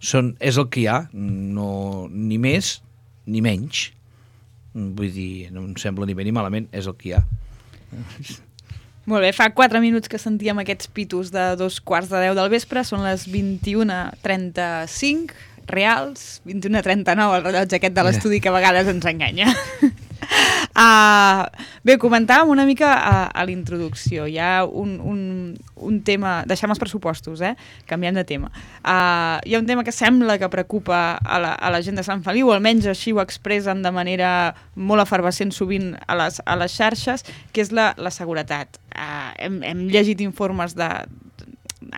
És el que hi ha, no, ni més ni menys. Vull dir, no em sembla ni bé ni malament, és el que hi ha. Molt bé, fa 4 minuts que sentíem aquests pitos de 2:15 del vespre, són les 21:35 reals, 21:39 el rellotge aquest de l'estudi que a vegades ens enganya. Bé, comentàvem una mica a la introducció. Hi ha un tema... Deixem els pressupostos, canviem de tema. Hi ha un tema que sembla que preocupa a la gent de Sant Feliu, almenys així ho expressen de manera molt efervescent sovint a les xarxes, que és la seguretat. Hem llegit informes a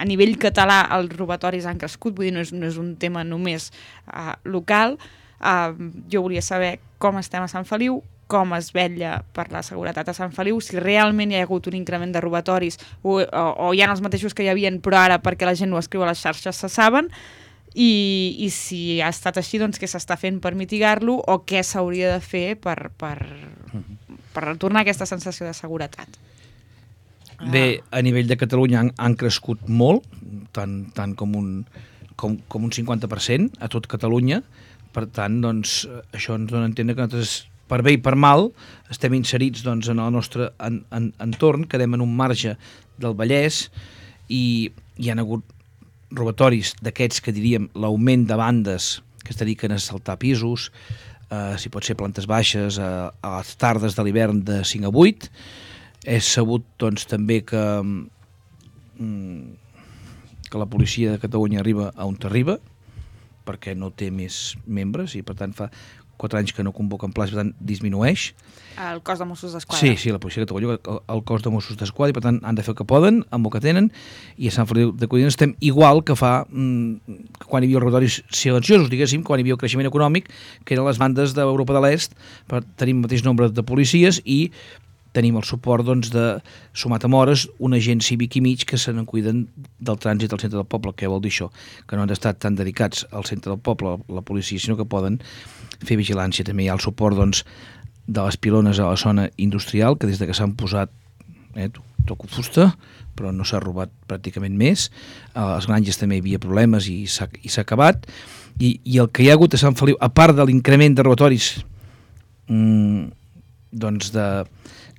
nivell català els robatoris han crescut, vull dir, no és un tema només local. Jo volia saber com estem a Sant Feliu, com es vetlla per la seguretat a Sant Feliu, si realment hi ha hagut un increment de robatoris o hi ha els mateixos que hi havia, però ara perquè la gent ho escriu a les xarxes se saben, i si ha estat així, doncs què s'està fent per mitigar-lo o què s'hauria de fer per retornar aquesta sensació de seguretat. Bé, a nivell de Catalunya han crescut molt, tant com un 50% a tot Catalunya. Per tant, doncs, això ens dona a entendre que nosaltres, per bé i per mal, estem inserits doncs, en el nostre entorn, quedem en un marge del Vallès i hi ha hagut robatoris d'aquests que diríem l'augment de bandes que es dediquen a assaltar pisos, si pot ser plantes baixes, a les tardes de l'hivern de 5 a 8. És sabut doncs, també que la policia de Catalunya arriba on arriba, perquè no té més membres i per tant fa 4 anys que no convoquen places, per tant disminueix. El cos de Mossos d'Esquadra. Sí, la policia de Catalunya, el cos de Mossos d'Esquadra, i per tant han de fer el que poden, amb el que tenen, i a Sant Feliu de Codines estem igual que fa quan hi havia els robatoris silenciosos, diguéssim, quan hi havia el creixement econòmic, que eren les bandes d'Europa de l'Est, tenim el mateix nombre de policies i tenim el suport doncs, de, sumat amb hores, un agent cívic i mig que se n'encuiden del trànsit al centre del poble. Què vol dir això? Que no han d'estar tan dedicats al centre del poble, la policia, sinó que poden fer vigilància. També hi ha el suport doncs, de les pilones a la zona industrial, que des de que s'han posat toco fusta, però no s'ha robat pràcticament més. A les granges també hi havia problemes i s'ha acabat. I el que hi ha hagut a Sant Feliu, a part de l'increment de robatoris doncs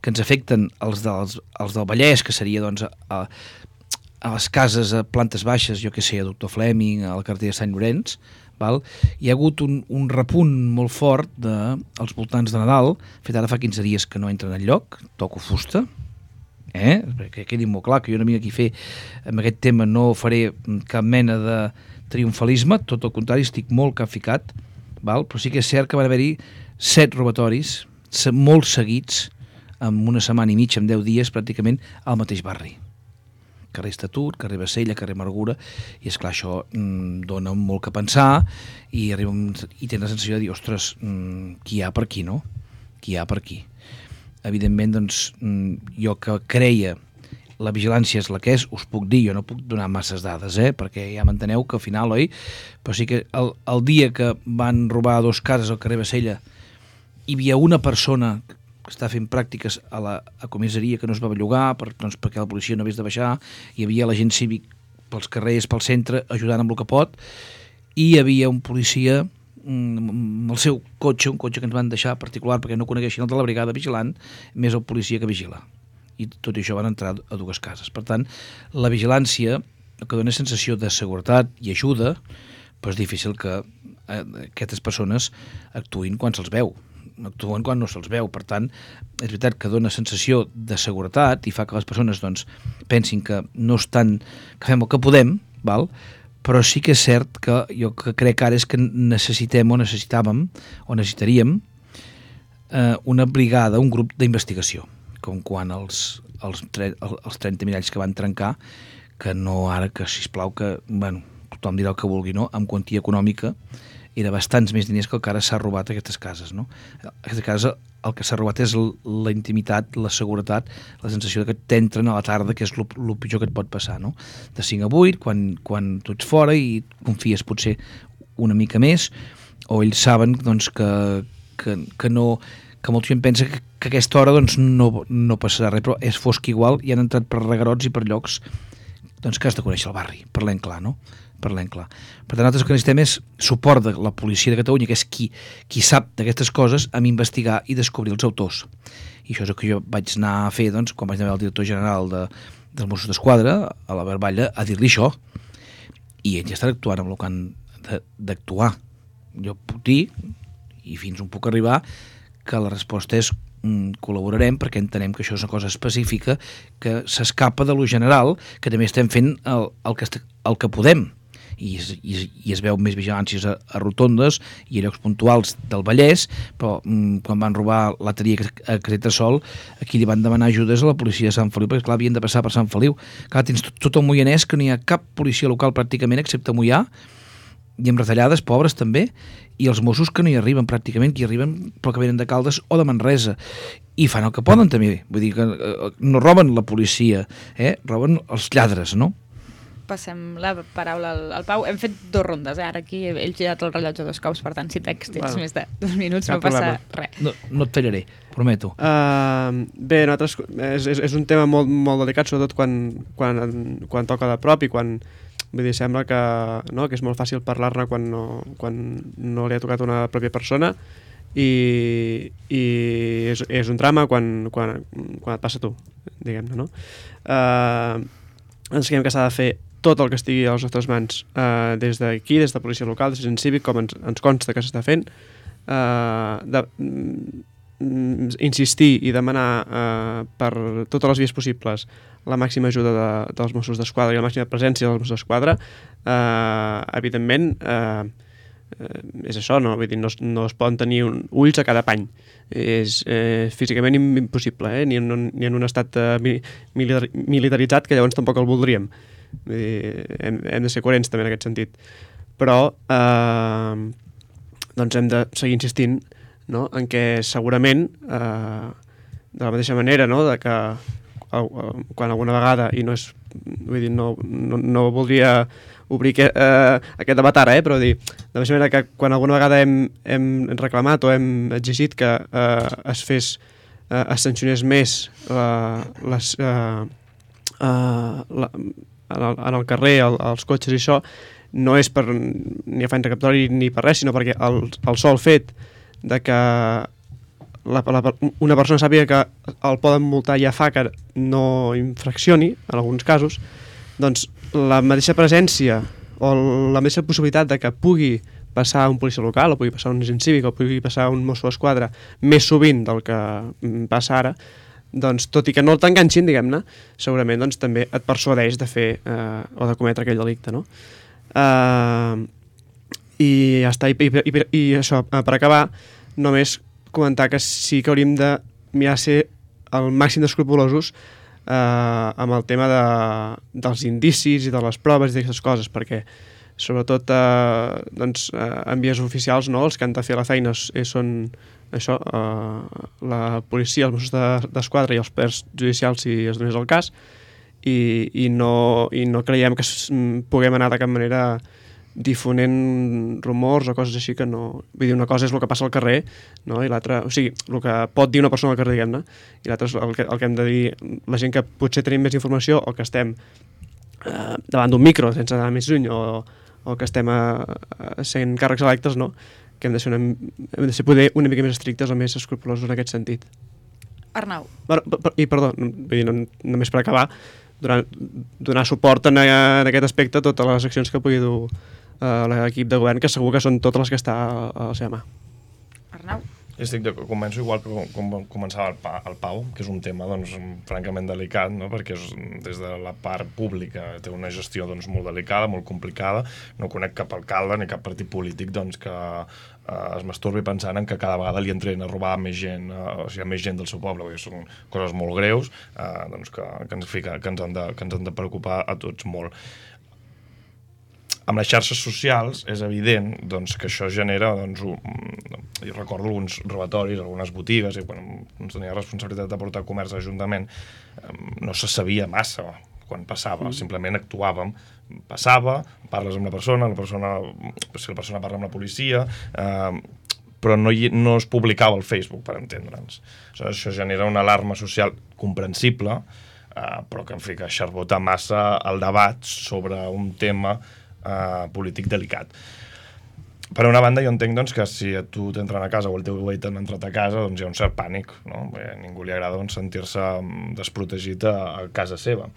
que ens afecten els del Vallès, que seria doncs, a les cases a plantes baixes, jo que sé, a Doctor Fleming, a la carretera de Sant Llorenç, hi ha hagut un repunt molt fort als voltants de Nadal, fet ara fa 15 dies que no entren enlloc, toco fusta, perquè quedi molt clar que jo no vinc aquí a fer, amb aquest tema no faré cap mena de triomfalisme, tot el contrari, estic molt capficat, però sí que és cert que van haver-hi 7 robatoris, molt seguits, en una setmana i mitja, en 10 dies, pràcticament al mateix barri. Carrer Estatut, carrer Bassella, carrer Margura, i esclar, això dona molt que pensar i tens la sensació de dir, ostres, qui hi ha per aquí, no? Qui hi ha per aquí? Evidentment, doncs, jo que creia la vigilància és la que és, us puc dir, jo no puc donar masses dades, perquè ja m'enteneu que al final, oi? Però sí que el dia que van robar 2 cases al carrer Bassella hi havia una persona que està fent pràctiques a comissaria que no es va bellugar perquè la policia no hagués de baixar, hi havia l'agent cívic pels carrers, pel centre, ajudant amb el que pot, i hi havia un policia amb el seu cotxe, un cotxe que ens van deixar particular perquè no coneguessin el de la brigada vigilant, més el policia que vigila. I tot això van entrar a 2 cases. Per tant, la vigilància, el que dona sensació de seguretat i ajuda, però és difícil que aquestes persones actuïn quan se'ls veu. Actuen quan no se'ls veu, per tant és veritat que dona sensació de seguretat i fa que les persones doncs, pensin que no estan, que fem el que podem, però sí que és cert que jo que crec ara és que necessitaríem una brigada, un grup d'investigació, com quan els 30 miralls que van trencar, que no ara, que sisplau que, tothom dirà el que vulgui, no? Amb quantia econòmica, era bastants més diners que el que ara s'ha robat a aquestes cases, no? Aquesta casa, el que s'ha robat és la intimitat, la seguretat, la sensació que t'entren a la tarda, que és el pitjor que et pot passar, no? De 5 a 8, quan tu ets fora i confies potser una mica més, o ells saben doncs, que molta gent pensa que a aquesta hora doncs, no passarà res, però és fosc igual i han entrat per regarots i per llocs doncs, que has de conèixer el barri, parlem clar, no? Parlem clar. Per tant, nosaltres el que necessitem és suport de la policia de Catalunya, que és qui sap d'aquestes coses, amb investigar i descobrir els autors. I això és el que jo vaig anar a fer doncs, quan vaig anar al director general dels Mossos d'Esquadra, a la Barballa, a dir-li això. I ells ja estan actuant amb el que han d'actuar. Jo puc dir, i fins on puc arribar, que la resposta és col·laborarem perquè entenem que això és una cosa específica que s'escapa de lo general, que també estem fent el que podem. I es veu més vigilàncies a rotondes i a llocs puntuals del Vallès, però quan van robar l'atelier a Casetasol, aquí li van demanar ajudes a la policia de Sant Feliu, perquè clar, havien de passar per Sant Feliu. Clar, tens tot el Moianès, que no hi ha cap policia local pràcticament, excepte Moià, i amb retallades, pobres també, i els Mossos que no hi arriben pràcticament, que hi arriben però que venen de Caldes o de Manresa, i fan el que poden també, vull dir que no roben la policia, roben els lladres, no? Passem la paraula al Pau. Hem fet 2 rondes, ara aquí he girat el rellotge 2 cops, per tant, si tens més de 2 minuts no passa res. No et tallaré, prometo. Bé, nosaltres, és un tema molt, molt delicat, sobretot quan toca de prop i quan, vull dir, sembla que és molt fàcil parlar-ne quan no li ha tocat una pròpia persona i és un drama quan et passa a tu, diguem-ne, no? Ens creiem que s'ha de fer tot el que estigui a les nostres mans, des d'aquí, des de policia local, des de Agent Cívic, com ens consta que s'està fent, insistir i demanar per totes les vies possibles la màxima ajuda dels Mossos d'Esquadra i la màxima presència dels Mossos d'Esquadra. Evidentment, és això, no? Vull dir, no es poden tenir ulls a cada pany. És físicament impossible, ni en un estat militaritzat, que llavors tampoc el voldríem. Vull dir, hem de ser coherents també en aquest sentit. Però doncs hem de seguir insistint, no? En què segurament, de la mateixa manera, no? De que quan alguna vegada, i no és, vull dir, no voldria obrir aquest debat ara, però dir, de la mateixa manera que quan alguna vegada hem reclamat o hem exigit que es sancionés més en el carrer, els cotxes i això, no és per ni afany recaptatori ni per res, sinó perquè el sol fet de que una persona sàpiga que el poden multar ja fa que no infraccioni, en alguns casos, doncs la mateixa presència o la mateixa possibilitat de que pugui passar un policia local, o pugui passar un agent cívic, o pugui passar un mosso d'esquadra més sovint del que passa ara, doncs, tot i que no t'enganxin, diguem-ne, segurament doncs, també et persuadeix de fer o de cometre aquell delicte, no? I ja està, i això, per acabar, només comentar que sí que hauríem de mirar ser el màxim d'escrupulosos amb el tema dels indicis i de les proves i d'aquestes coses, perquè sobretot doncs, en vies oficials, no, els que han de fer la feina són això, la policia, els Mossos d'Esquadra i els poders judicials, si es donés el cas, i no creiem que puguem anar de cap manera difonent rumors o coses així que no... Vull dir, una cosa és el que passa al carrer, no? I l'altra... O sigui, el que pot dir una persona al carrer, diguem-ne, i l'altre és el que hem de dir la gent que potser tenim més informació o que estem davant d'un micro sense anar més lluny o que estem sent càrrecs electes, no? Que hem de ser poder una mica més estrictes o més escrupulosos en aquest sentit. Arnau. I perdó, només per acabar, donar suport en aquest aspecte a totes les accions que pugui dur l'equip de govern, que segur que són totes les que està a la seva mà. Arnau. Començo igual que com començava el Pau, que és un tema doncs, francament delicat, no? Perquè des de la part pública té una gestió doncs, molt delicada, molt complicada. No conec cap alcalde ni cap partit polític doncs, que es masturbi pensant en que cada vegada li entren a robar més gent, o sigui, més gent del seu poble. Vull dir, són coses molt greus doncs, que ens han de preocupar a tots molt. Amb les xarxes socials és evident doncs, que això genera, doncs, jo recordo alguns robatoris, algunes botigues, i quan ens tenia responsabilitat de portar comerç a l'Ajuntament, no se sabia massa quan passava, simplement actuàvem, passava, parles amb la persona, si la persona parla amb la policia, però no es publicava al Facebook, per entendre'ns. Això genera una alarma social comprensible, però que, en fi, que xarbota massa el debat sobre un tema polític delicat. Per una banda, jo entenc doncs, que si a tu t'entren a casa o el teu veí t'han entrat a casa, doncs hi ha un cert pànic, no? A ningú li agrada doncs, sentir-se desprotegit a casa seva.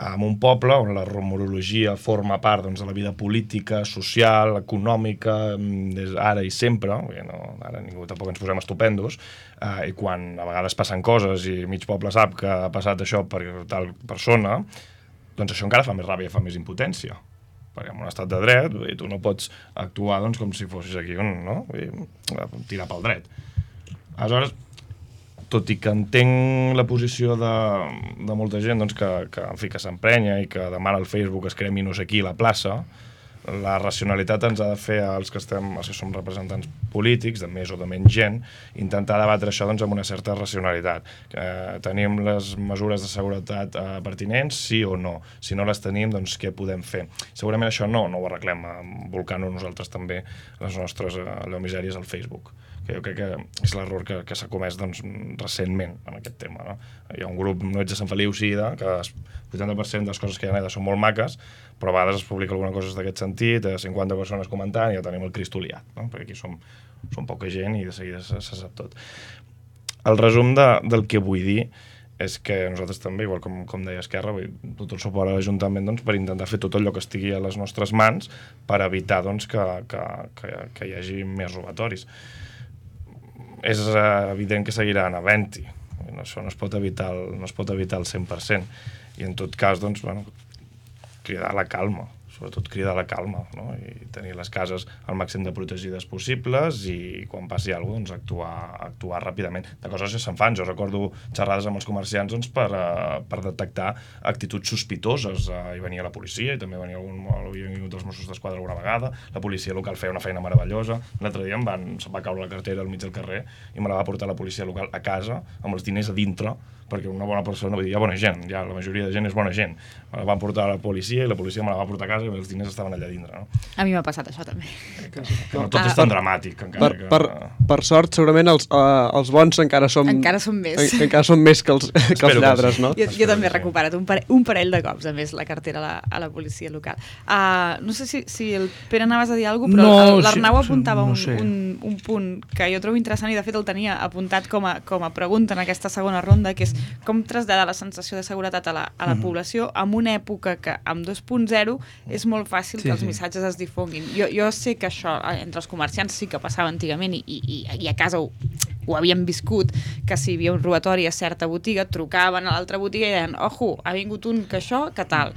En un poble on la rumorologia forma part doncs, de la vida política, social, econòmica, ara i sempre, ara ningú tampoc ens posem estupendos, i quan a vegades passen coses i mig poble sap que ha passat això per tal persona, doncs això encara fa més ràbia i fa més impotència. Perquè en un estat de dret tu no pots actuar doncs, com si fossis aquí, no? Tirar pel dret. Aleshores, tot i que entenc la posició de molta gent doncs, que s'emprenya i que demana al Facebook es cremi no sé qui a la plaça, la racionalitat ens ha de fer als que som representants polítics, de més o de menys gent, intentar debatre això doncs, amb una certa racionalitat. Tenim les mesures de seguretat pertinents, sí o no? Si no les tenim, doncs què podem fer? Segurament això no ho arreglem volcant-nos nosaltres també les nostres misèries al Facebook. Que jo crec que és l'error que s'ha comès doncs, recentment en aquest tema. No? Hi ha un grup, no ets de Sant Feliu, sí, que el 80% de les coses que hi ha allà són molt maques, però a vegades es publica alguna cosa d'aquest sentit, 50 persones comentant i ja tenim el Cristo liat, no? Perquè aquí som poca gent i de seguida se sap tot. El resum del que vull dir és que nosaltres també, igual com deia Esquerra, tot el suport a l'Ajuntament doncs, per intentar fer tot allò que estigui a les nostres mans per evitar doncs, que hi hagi més robatoris. És evident que seguiran havent-hi. Això no es pot evitar al 100%. I en tot cas, doncs, cridar la calma, sobretot cridar la calma, no? I tenir les cases al màxim de protegides possibles i quan passi alguna cosa, actuar ràpidament. De coses ja se'n fan. Jo recordo xerrades amb els comerciants doncs, per detectar actituds sospitoses. Hi venia la policia i també havia vingut els Mossos d'Esquadra alguna vegada. La policia local feia una feina meravellosa. L'altre dia se'm va caure la cartera al mig del carrer i me la va portar la policia local a casa amb els diners a dintre, perquè una bona persona, vull dir, hi ha bona gent, la majoria de gent és bona gent. Me la van portar a la policia i la policia me la va portar a casa i els diners estaven allà dintre. No? A mi m'ha passat això també. Que no tot és tan dramàtic. Per sort, segurament els bons encara som més. Encara són més que els lladres, no? Jo també he recuperat un parell de cops, a més, la cartera a la policia local. No sé si el Pere anaves a dir alguna cosa, però l'Arnau apuntava un punt que jo trobo interessant i de fet el tenia apuntat com a pregunta en aquesta segona ronda, que és com traslladar la sensació de seguretat a la població en una època que amb 2.0 és molt fàcil que els missatges es difonguin. Jo sé que això entre els comerciants sí que passava antigament i a casa ho havíem viscut, que si hi havia un robatori a certa botiga, trucaven a l'altra botiga i deien, ojo, ha vingut un que això, que tal.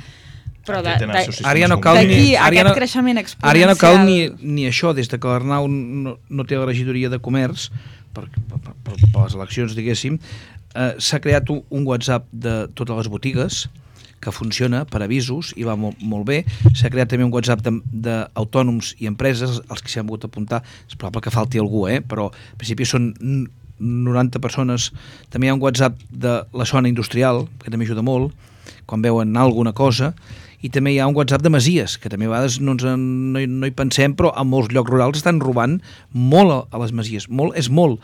Però ara ja no cal aquest creixement exponencial. Ara ja no cal ni això, des que l'Arnau no té la regidoria de comerç per les eleccions, diguéssim, s'ha creat un WhatsApp de totes les botigues que funciona per avisos i va molt bé. S'ha creat també un WhatsApp d'autònoms i empreses, els que s'hi han volgut apuntar. És probable que falti algú, però en principi són 90 persones. També hi ha un WhatsApp de la zona industrial, que també ajuda molt, quan veuen alguna cosa, i també hi ha un WhatsApp de masies, que també a vegades no hi pensem, però a molts llocs rurals estan robant molt a les masies. Molt és molt.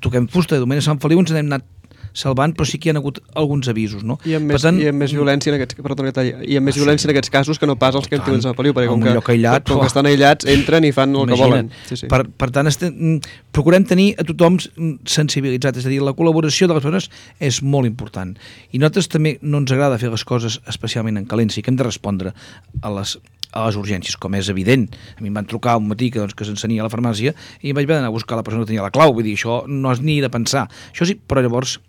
Toquem fusta, de moment a Sant Feliu ens n'hem anat salvant, però sí que hi ha hagut alguns avisos, no? I amb més violència en aquests casos que no pas els que hem tingut a Sant Feliu, perquè com que estan aïllats, entren i fan el que volen. Per tant, procurem tenir a tothom sensibilitzat, és a dir, la col·laboració de les persones és molt important. I nosaltres també no ens agrada fer les coses especialment en calent, sí que hem de respondre a les urgències, com és evident. A mi em van trucar un matí que s'encenia a la farmàcia i vaig haver d'anar a buscar la persona que tenia la clau, vull dir, això no és ni de pensar. Això sí, però llavors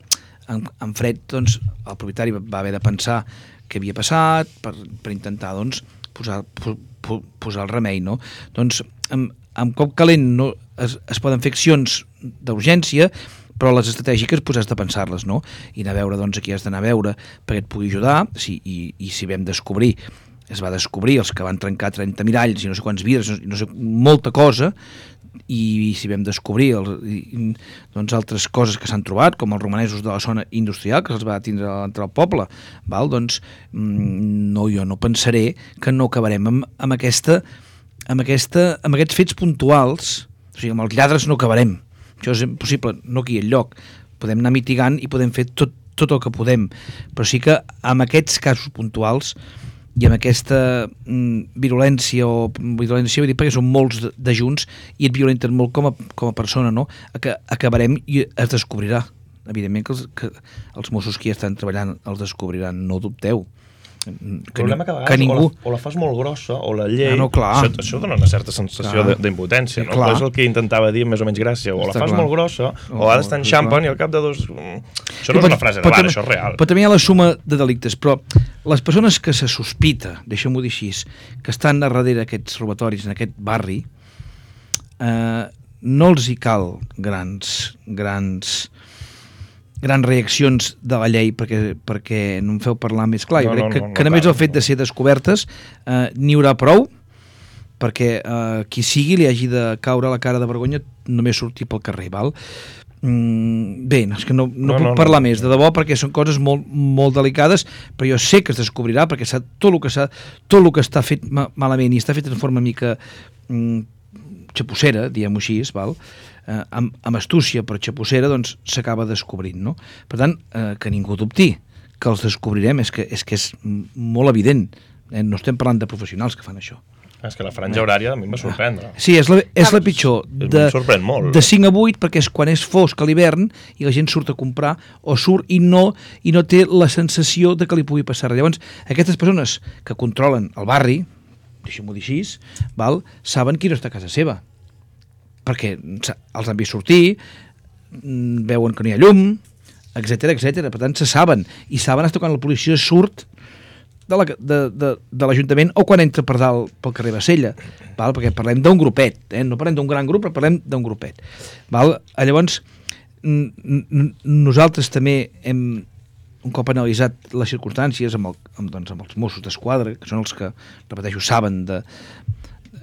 en fred, doncs, el propietari va haver de pensar què havia passat per intentar, doncs, posar el remei, no? Doncs, amb cop calent es poden fer accions d'urgència, però les estratègiques has de pensar-les, no? I anar a veure, doncs, a qui has d'anar a veure perquè et pugui ajudar, i si vam descobrir es va descobrir els que van trencar 30 miralls i no sé quants vidres, no sé, molta cosa, i si vam descobrir doncs altres coses que s'han trobat, com els romanesos de la zona industrial, que se'ls va tindre a l'entrada al poble, val? Doncs jo no pensaré que no acabarem amb aquests fets puntuals, o sigui, amb els lladres no acabarem, això és impossible, no aquí enlloc, podem anar mitigant i podem fer tot el que podem, però sí que amb aquests casos puntuals i amb aquesta virulència vull dir, perquè són molts de junts i et violenten molt com a persona, no? Acabarem i es descobrirà. Evidentment que els Mossos que hi estan treballant els descobriran, no dubteu. El problema que a vegades o la fas molt grossa o la llei, això dona una certa sensació d'impotència, no? És el que intentava dir més o menys gràcia, o la fas molt grossa o ha d'estar en xampen i al cap de dos... Això no és una frase de bar, això és real. Però també hi ha la suma de delictes, però les persones que se sospita, deixem-ho dir així, que estan a darrere aquests robatoris en aquest barri, no els hi cal grans reaccions de la llei perquè no em feu parlar més clar. Jo crec que només el fet de ser descobertes n'hi haurà prou perquè qui sigui li hagi de caure la cara de vergonya només sortir pel carrer, val? Bé, és que no puc parlar més, de debò, perquè són coses molt, molt delicades, però jo sé que es descobrirà perquè tot el que està fet malament i està fet en forma mica xapussera, diguem-ho així, val? Amb astúcia però xapussera, doncs s'acaba descobrint, no? Per tant, que ningú dubti que els descobrirem, és que és molt evident, no estem parlant de professionals que fan això. És que la franja horària a mi em va sorprendre. Sí, és la pitjor. Em sorprèn molt. De 5 a 8, perquè és quan és fosc a l'hivern i la gent surt a comprar o surt i no té la sensació de que li pugui passar res. Llavors, aquestes persones que controlen el barri, deixem-ho dir així, saben qui no està a casa seva, perquè els han vist sortir, veuen que no hi ha llum, etc. Per tant, se saben, i saben fins quan la policia surt de l'Ajuntament o quan entra per dalt pel carrer Bassella, perquè parlem d'un grupet, no parlem d'un gran grup, però parlem d'un grupet. Llavors, nosaltres també hem, un cop analitzat les circumstàncies amb els Mossos d'Esquadra, que són els que, repeteixo, saben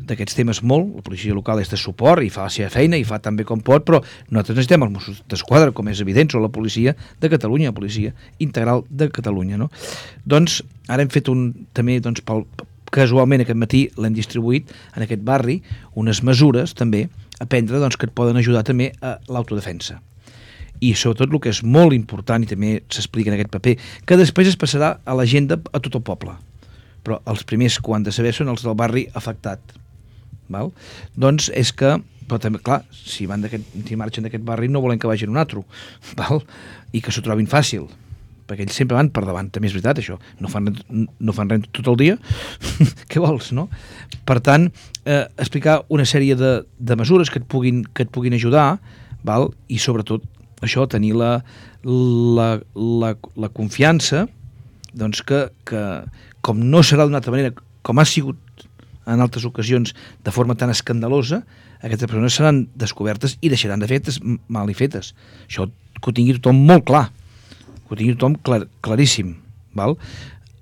d'aquests temes molt, la policia local és de suport i fa la seva feina i fa tan bé com pot, però nosaltres necessitem els Mossos d'Esquadra, com és evident, o la policia de Catalunya, la policia integral de Catalunya, no? Doncs ara hem fet també, casualment aquest matí l'hem distribuït en aquest barri, unes mesures també a prendre que et poden ajudar també a l'autodefensa. I sobretot el que és molt important, i també s'explica en aquest paper, que després es passarà a l'agenda a tot el poble, però els primers que ho han de saber són els del barri afectat. Doncs és que, però també, clar, si marxen d'aquest barri no volen que vagin un altre, i que s'ho trobin fàcil, perquè ells sempre van per davant, també és veritat això, no fan res tot el dia, què vols, no? Per tant, explicar una sèrie de mesures que et puguin ajudar, i sobretot això, tenir la confiança que com no serà d'una altra manera, com ha sigut en altres ocasions de forma tan escandalosa, aquestes persones seran descobertes i deixaran de fer mal i fetes. Això que ho tingui tothom molt clar, que ho tingui tothom claríssim.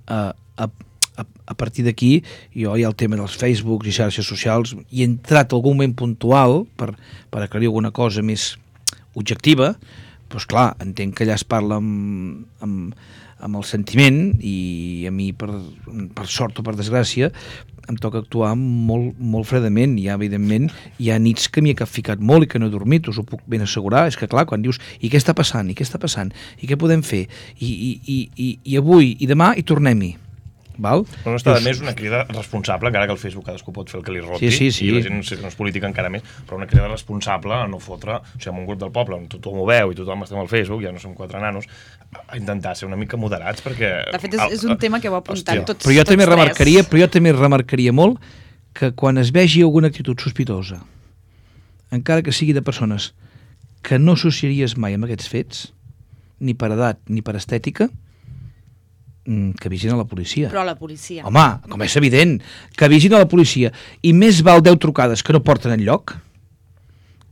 A partir d'aquí, jo hi ha el tema dels Facebooks i xarxes socials, i he entrat algun moment puntual per aclarir alguna cosa més objectiva, doncs clar, entenc que allà es parla amb el sentiment, i a mi, per sort o per desgràcia, em toca actuar molt, molt fredament. Evidentment, hi ha nits que m'hi he ficat molt i que no he dormit, us ho puc ben assegurar. És que clar, quan dius, i què està passant, i què està passant, i què podem fer, i avui, i demà, i tornem-hi. No està de més una crida responsable, encara que el Facebook cadascú pot fer el que li roti, sí. I la gent no és política encara més, però una crida responsable a no fotre, o sigui, en un grup del poble on tothom ho veu i tothom estem al Facebook, ja no som 4 nanos, a intentar ser una mica moderats, perquè... De fet, és un tema que heu apuntat tots però jo també remarcaria molt que quan es vegi alguna actitud sospitosa, encara que sigui de persones que no associaries mai amb aquests fets, ni per edat ni per estètica, que avisin a la policia. Però a la policia. Home, com és evident, que avisin a la policia. I més val 10 trucades que no porten enlloc,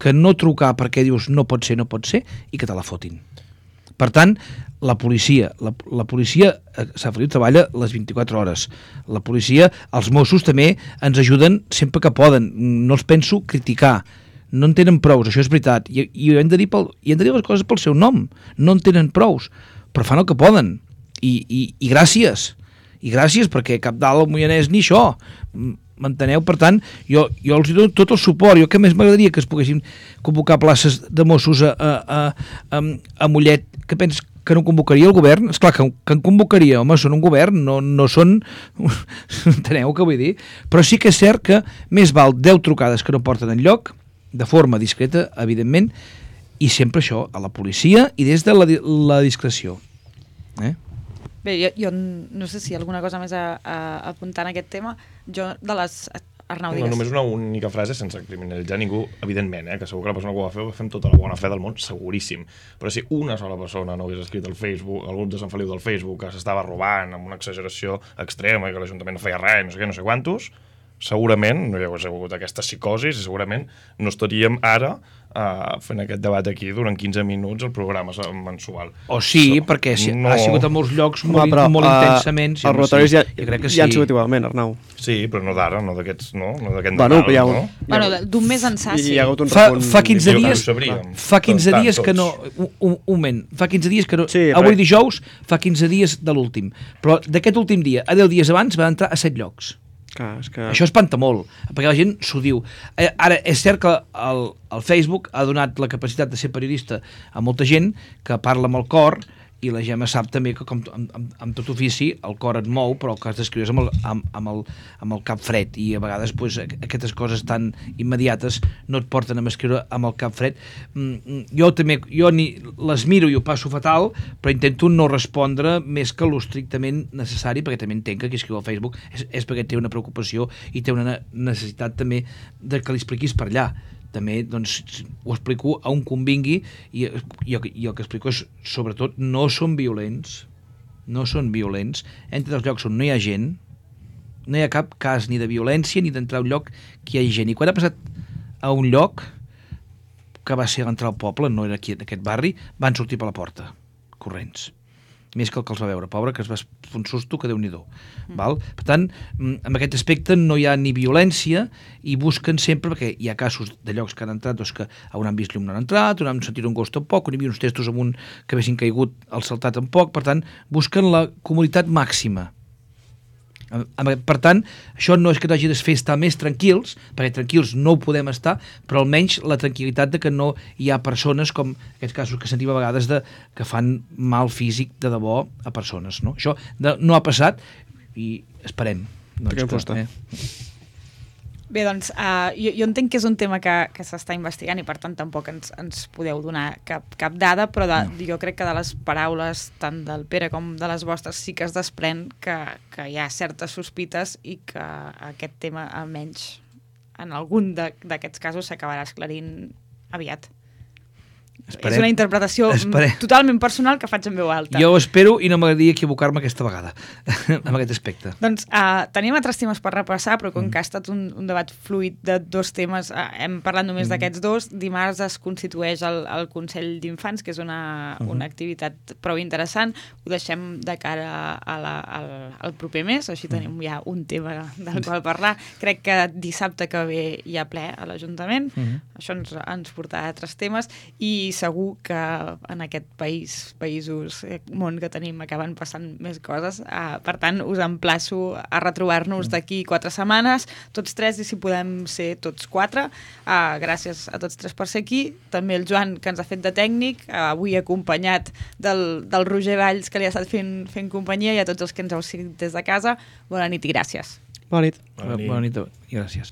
que no trucar perquè dius no pot ser, i que te la fotin. Per tant, la policia a Sant Feliu treballa les 24 hores. La policia, els Mossos també ens ajuden sempre que poden. No els penso criticar. No en tenen prous, això és veritat. I hem de dir les coses pel seu nom. No en tenen prous, però fan el que poden. I gràcies. I gràcies, perquè cap dalt al Moianès ni això. M'enteneu? Per tant, jo els dono tot el suport. Jo que més m'agradaria que es poguessin convocar places de Mossos a Mollet, que penses que no convocaria el govern? Esclar que en convocaria, home, són un govern, no són... Enteneu què vull dir? Però sí que és cert que més val 10 trucades que no porten enlloc, de forma discreta, evidentment, i sempre això, a la policia i des de la discreció. Bé, jo no sé si hi ha alguna cosa més a apuntar en aquest tema. Jo, de les... Arnau, digues. Només una única frase sense criminalitzar ningú, evidentment, que segur que la persona que ho va fer fem tota la bona fe del món, seguríssim. Però si una sola persona no hagués escrit al Facebook, al grup de Sant Feliu del Facebook, que s'estava robant amb una exageració extrema i que l'Ajuntament no feia res, no sé què, no sé quantos, segurament no hi hagués hagut aquesta psicosi i segurament no estaríem ara fent aquest debat aquí durant 15 minuts al programa mensual. O sí, perquè ha sigut a molts llocs molt intensament. Els rotatoris ja han sigut igualment, Arnau. Sí, però no d'ara, no d'aquest Nadal, no? Bueno, d'un mes ençà, sí. Fa 15 dies que no... Un moment, fa 15 dies que no... Avui dijous, fa 15 dies de l'últim. Però d'aquest últim dia, a 10 dies abans, va entrar a 7 llocs. Això espanta molt, perquè la gent s'ho diu. Ara, és cert que el Facebook ha donat la capacitat de ser periodista a molta gent que parla amb el cor, i la Gemma sap també que com amb tot ofici el cor et mou, però el que has d'escriure és amb el cap fred, i a vegades pues, aquestes coses tan immediates no et porten a escriure amb el cap fred. Jo les miro i ho passo fatal, però intento no respondre més que l'estrictament necessari, perquè també entenc que qui escriu al Facebook és perquè té una preocupació i té una necessitat també de que li expliquis per allà. També doncs, ho explico a on convingui, i el que explico és, sobretot, no són violents, entre els llocs on no hi ha gent, no hi ha cap cas ni de violència ni d'entrar a un lloc que hi ha gent. I quan ha passat a un lloc, que va ser a l'entrar al poble, no era aquí en aquest barri, van sortir per la porta, corrents. Més que el que els va veure, pobre, que es va fer un susto que Déu-n'hi-do. Per tant, en aquest aspecte no hi ha ni violència i busquen sempre, perquè hi ha casos de llocs que han entrat doncs, que on han vist llum no han entrat, on han sentit un gos tampoc, on hi havia uns testos amunt que haguessin caigut al saltar tampoc, per tant, busquen la comoditat màxima. Per tant, això no és que t'hagi de fer estar més tranquils, perquè tranquils no ho podem estar, però almenys la tranquil·litat de que no hi ha persones com aquests casos que sentim a vegades que fan mal físic de debò a persones. No? Això no ha passat i esperem. Bé, doncs, jo entenc que és un tema que s'està investigant i per tant tampoc ens podeu donar cap dada, però jo crec que de les paraules tant del Pere com de les vostres sí que es desprèn que hi ha certes sospites i que aquest tema, almenys en algun d'aquests casos, s'acabarà esclarint aviat. És una interpretació totalment personal que faig en veu alta. Jo ho espero i no m'agradaria equivocar-me aquesta vegada en aquest aspecte. Doncs tenim altres temes per repassar, però com que ha estat un debat fluid de dos temes, hem parlat només d'aquests dos. Dimarts es constitueix el Consell d'Infants, que és una activitat prou interessant. Ho deixem de cara al proper mes, així tenim ja un tema del qual parlar. Crec que dissabte que ve hi ha ple a l'Ajuntament. Això ens portarà a altres temes i segur que en aquest món que tenim acaben passant més coses. Per tant, us emplaço a retrobar-nos d'aquí 4 setmanes, tots 3, i si podem ser tots 4. Gràcies a tots 3 per ser aquí. També el Joan, que ens ha fet de tècnic, avui acompanyat del Roger Valls, que li ha estat fent companyia, i a tots els que ens heu seguit des de casa. Bona nit i gràcies. Bona nit. Bona nit i gràcies.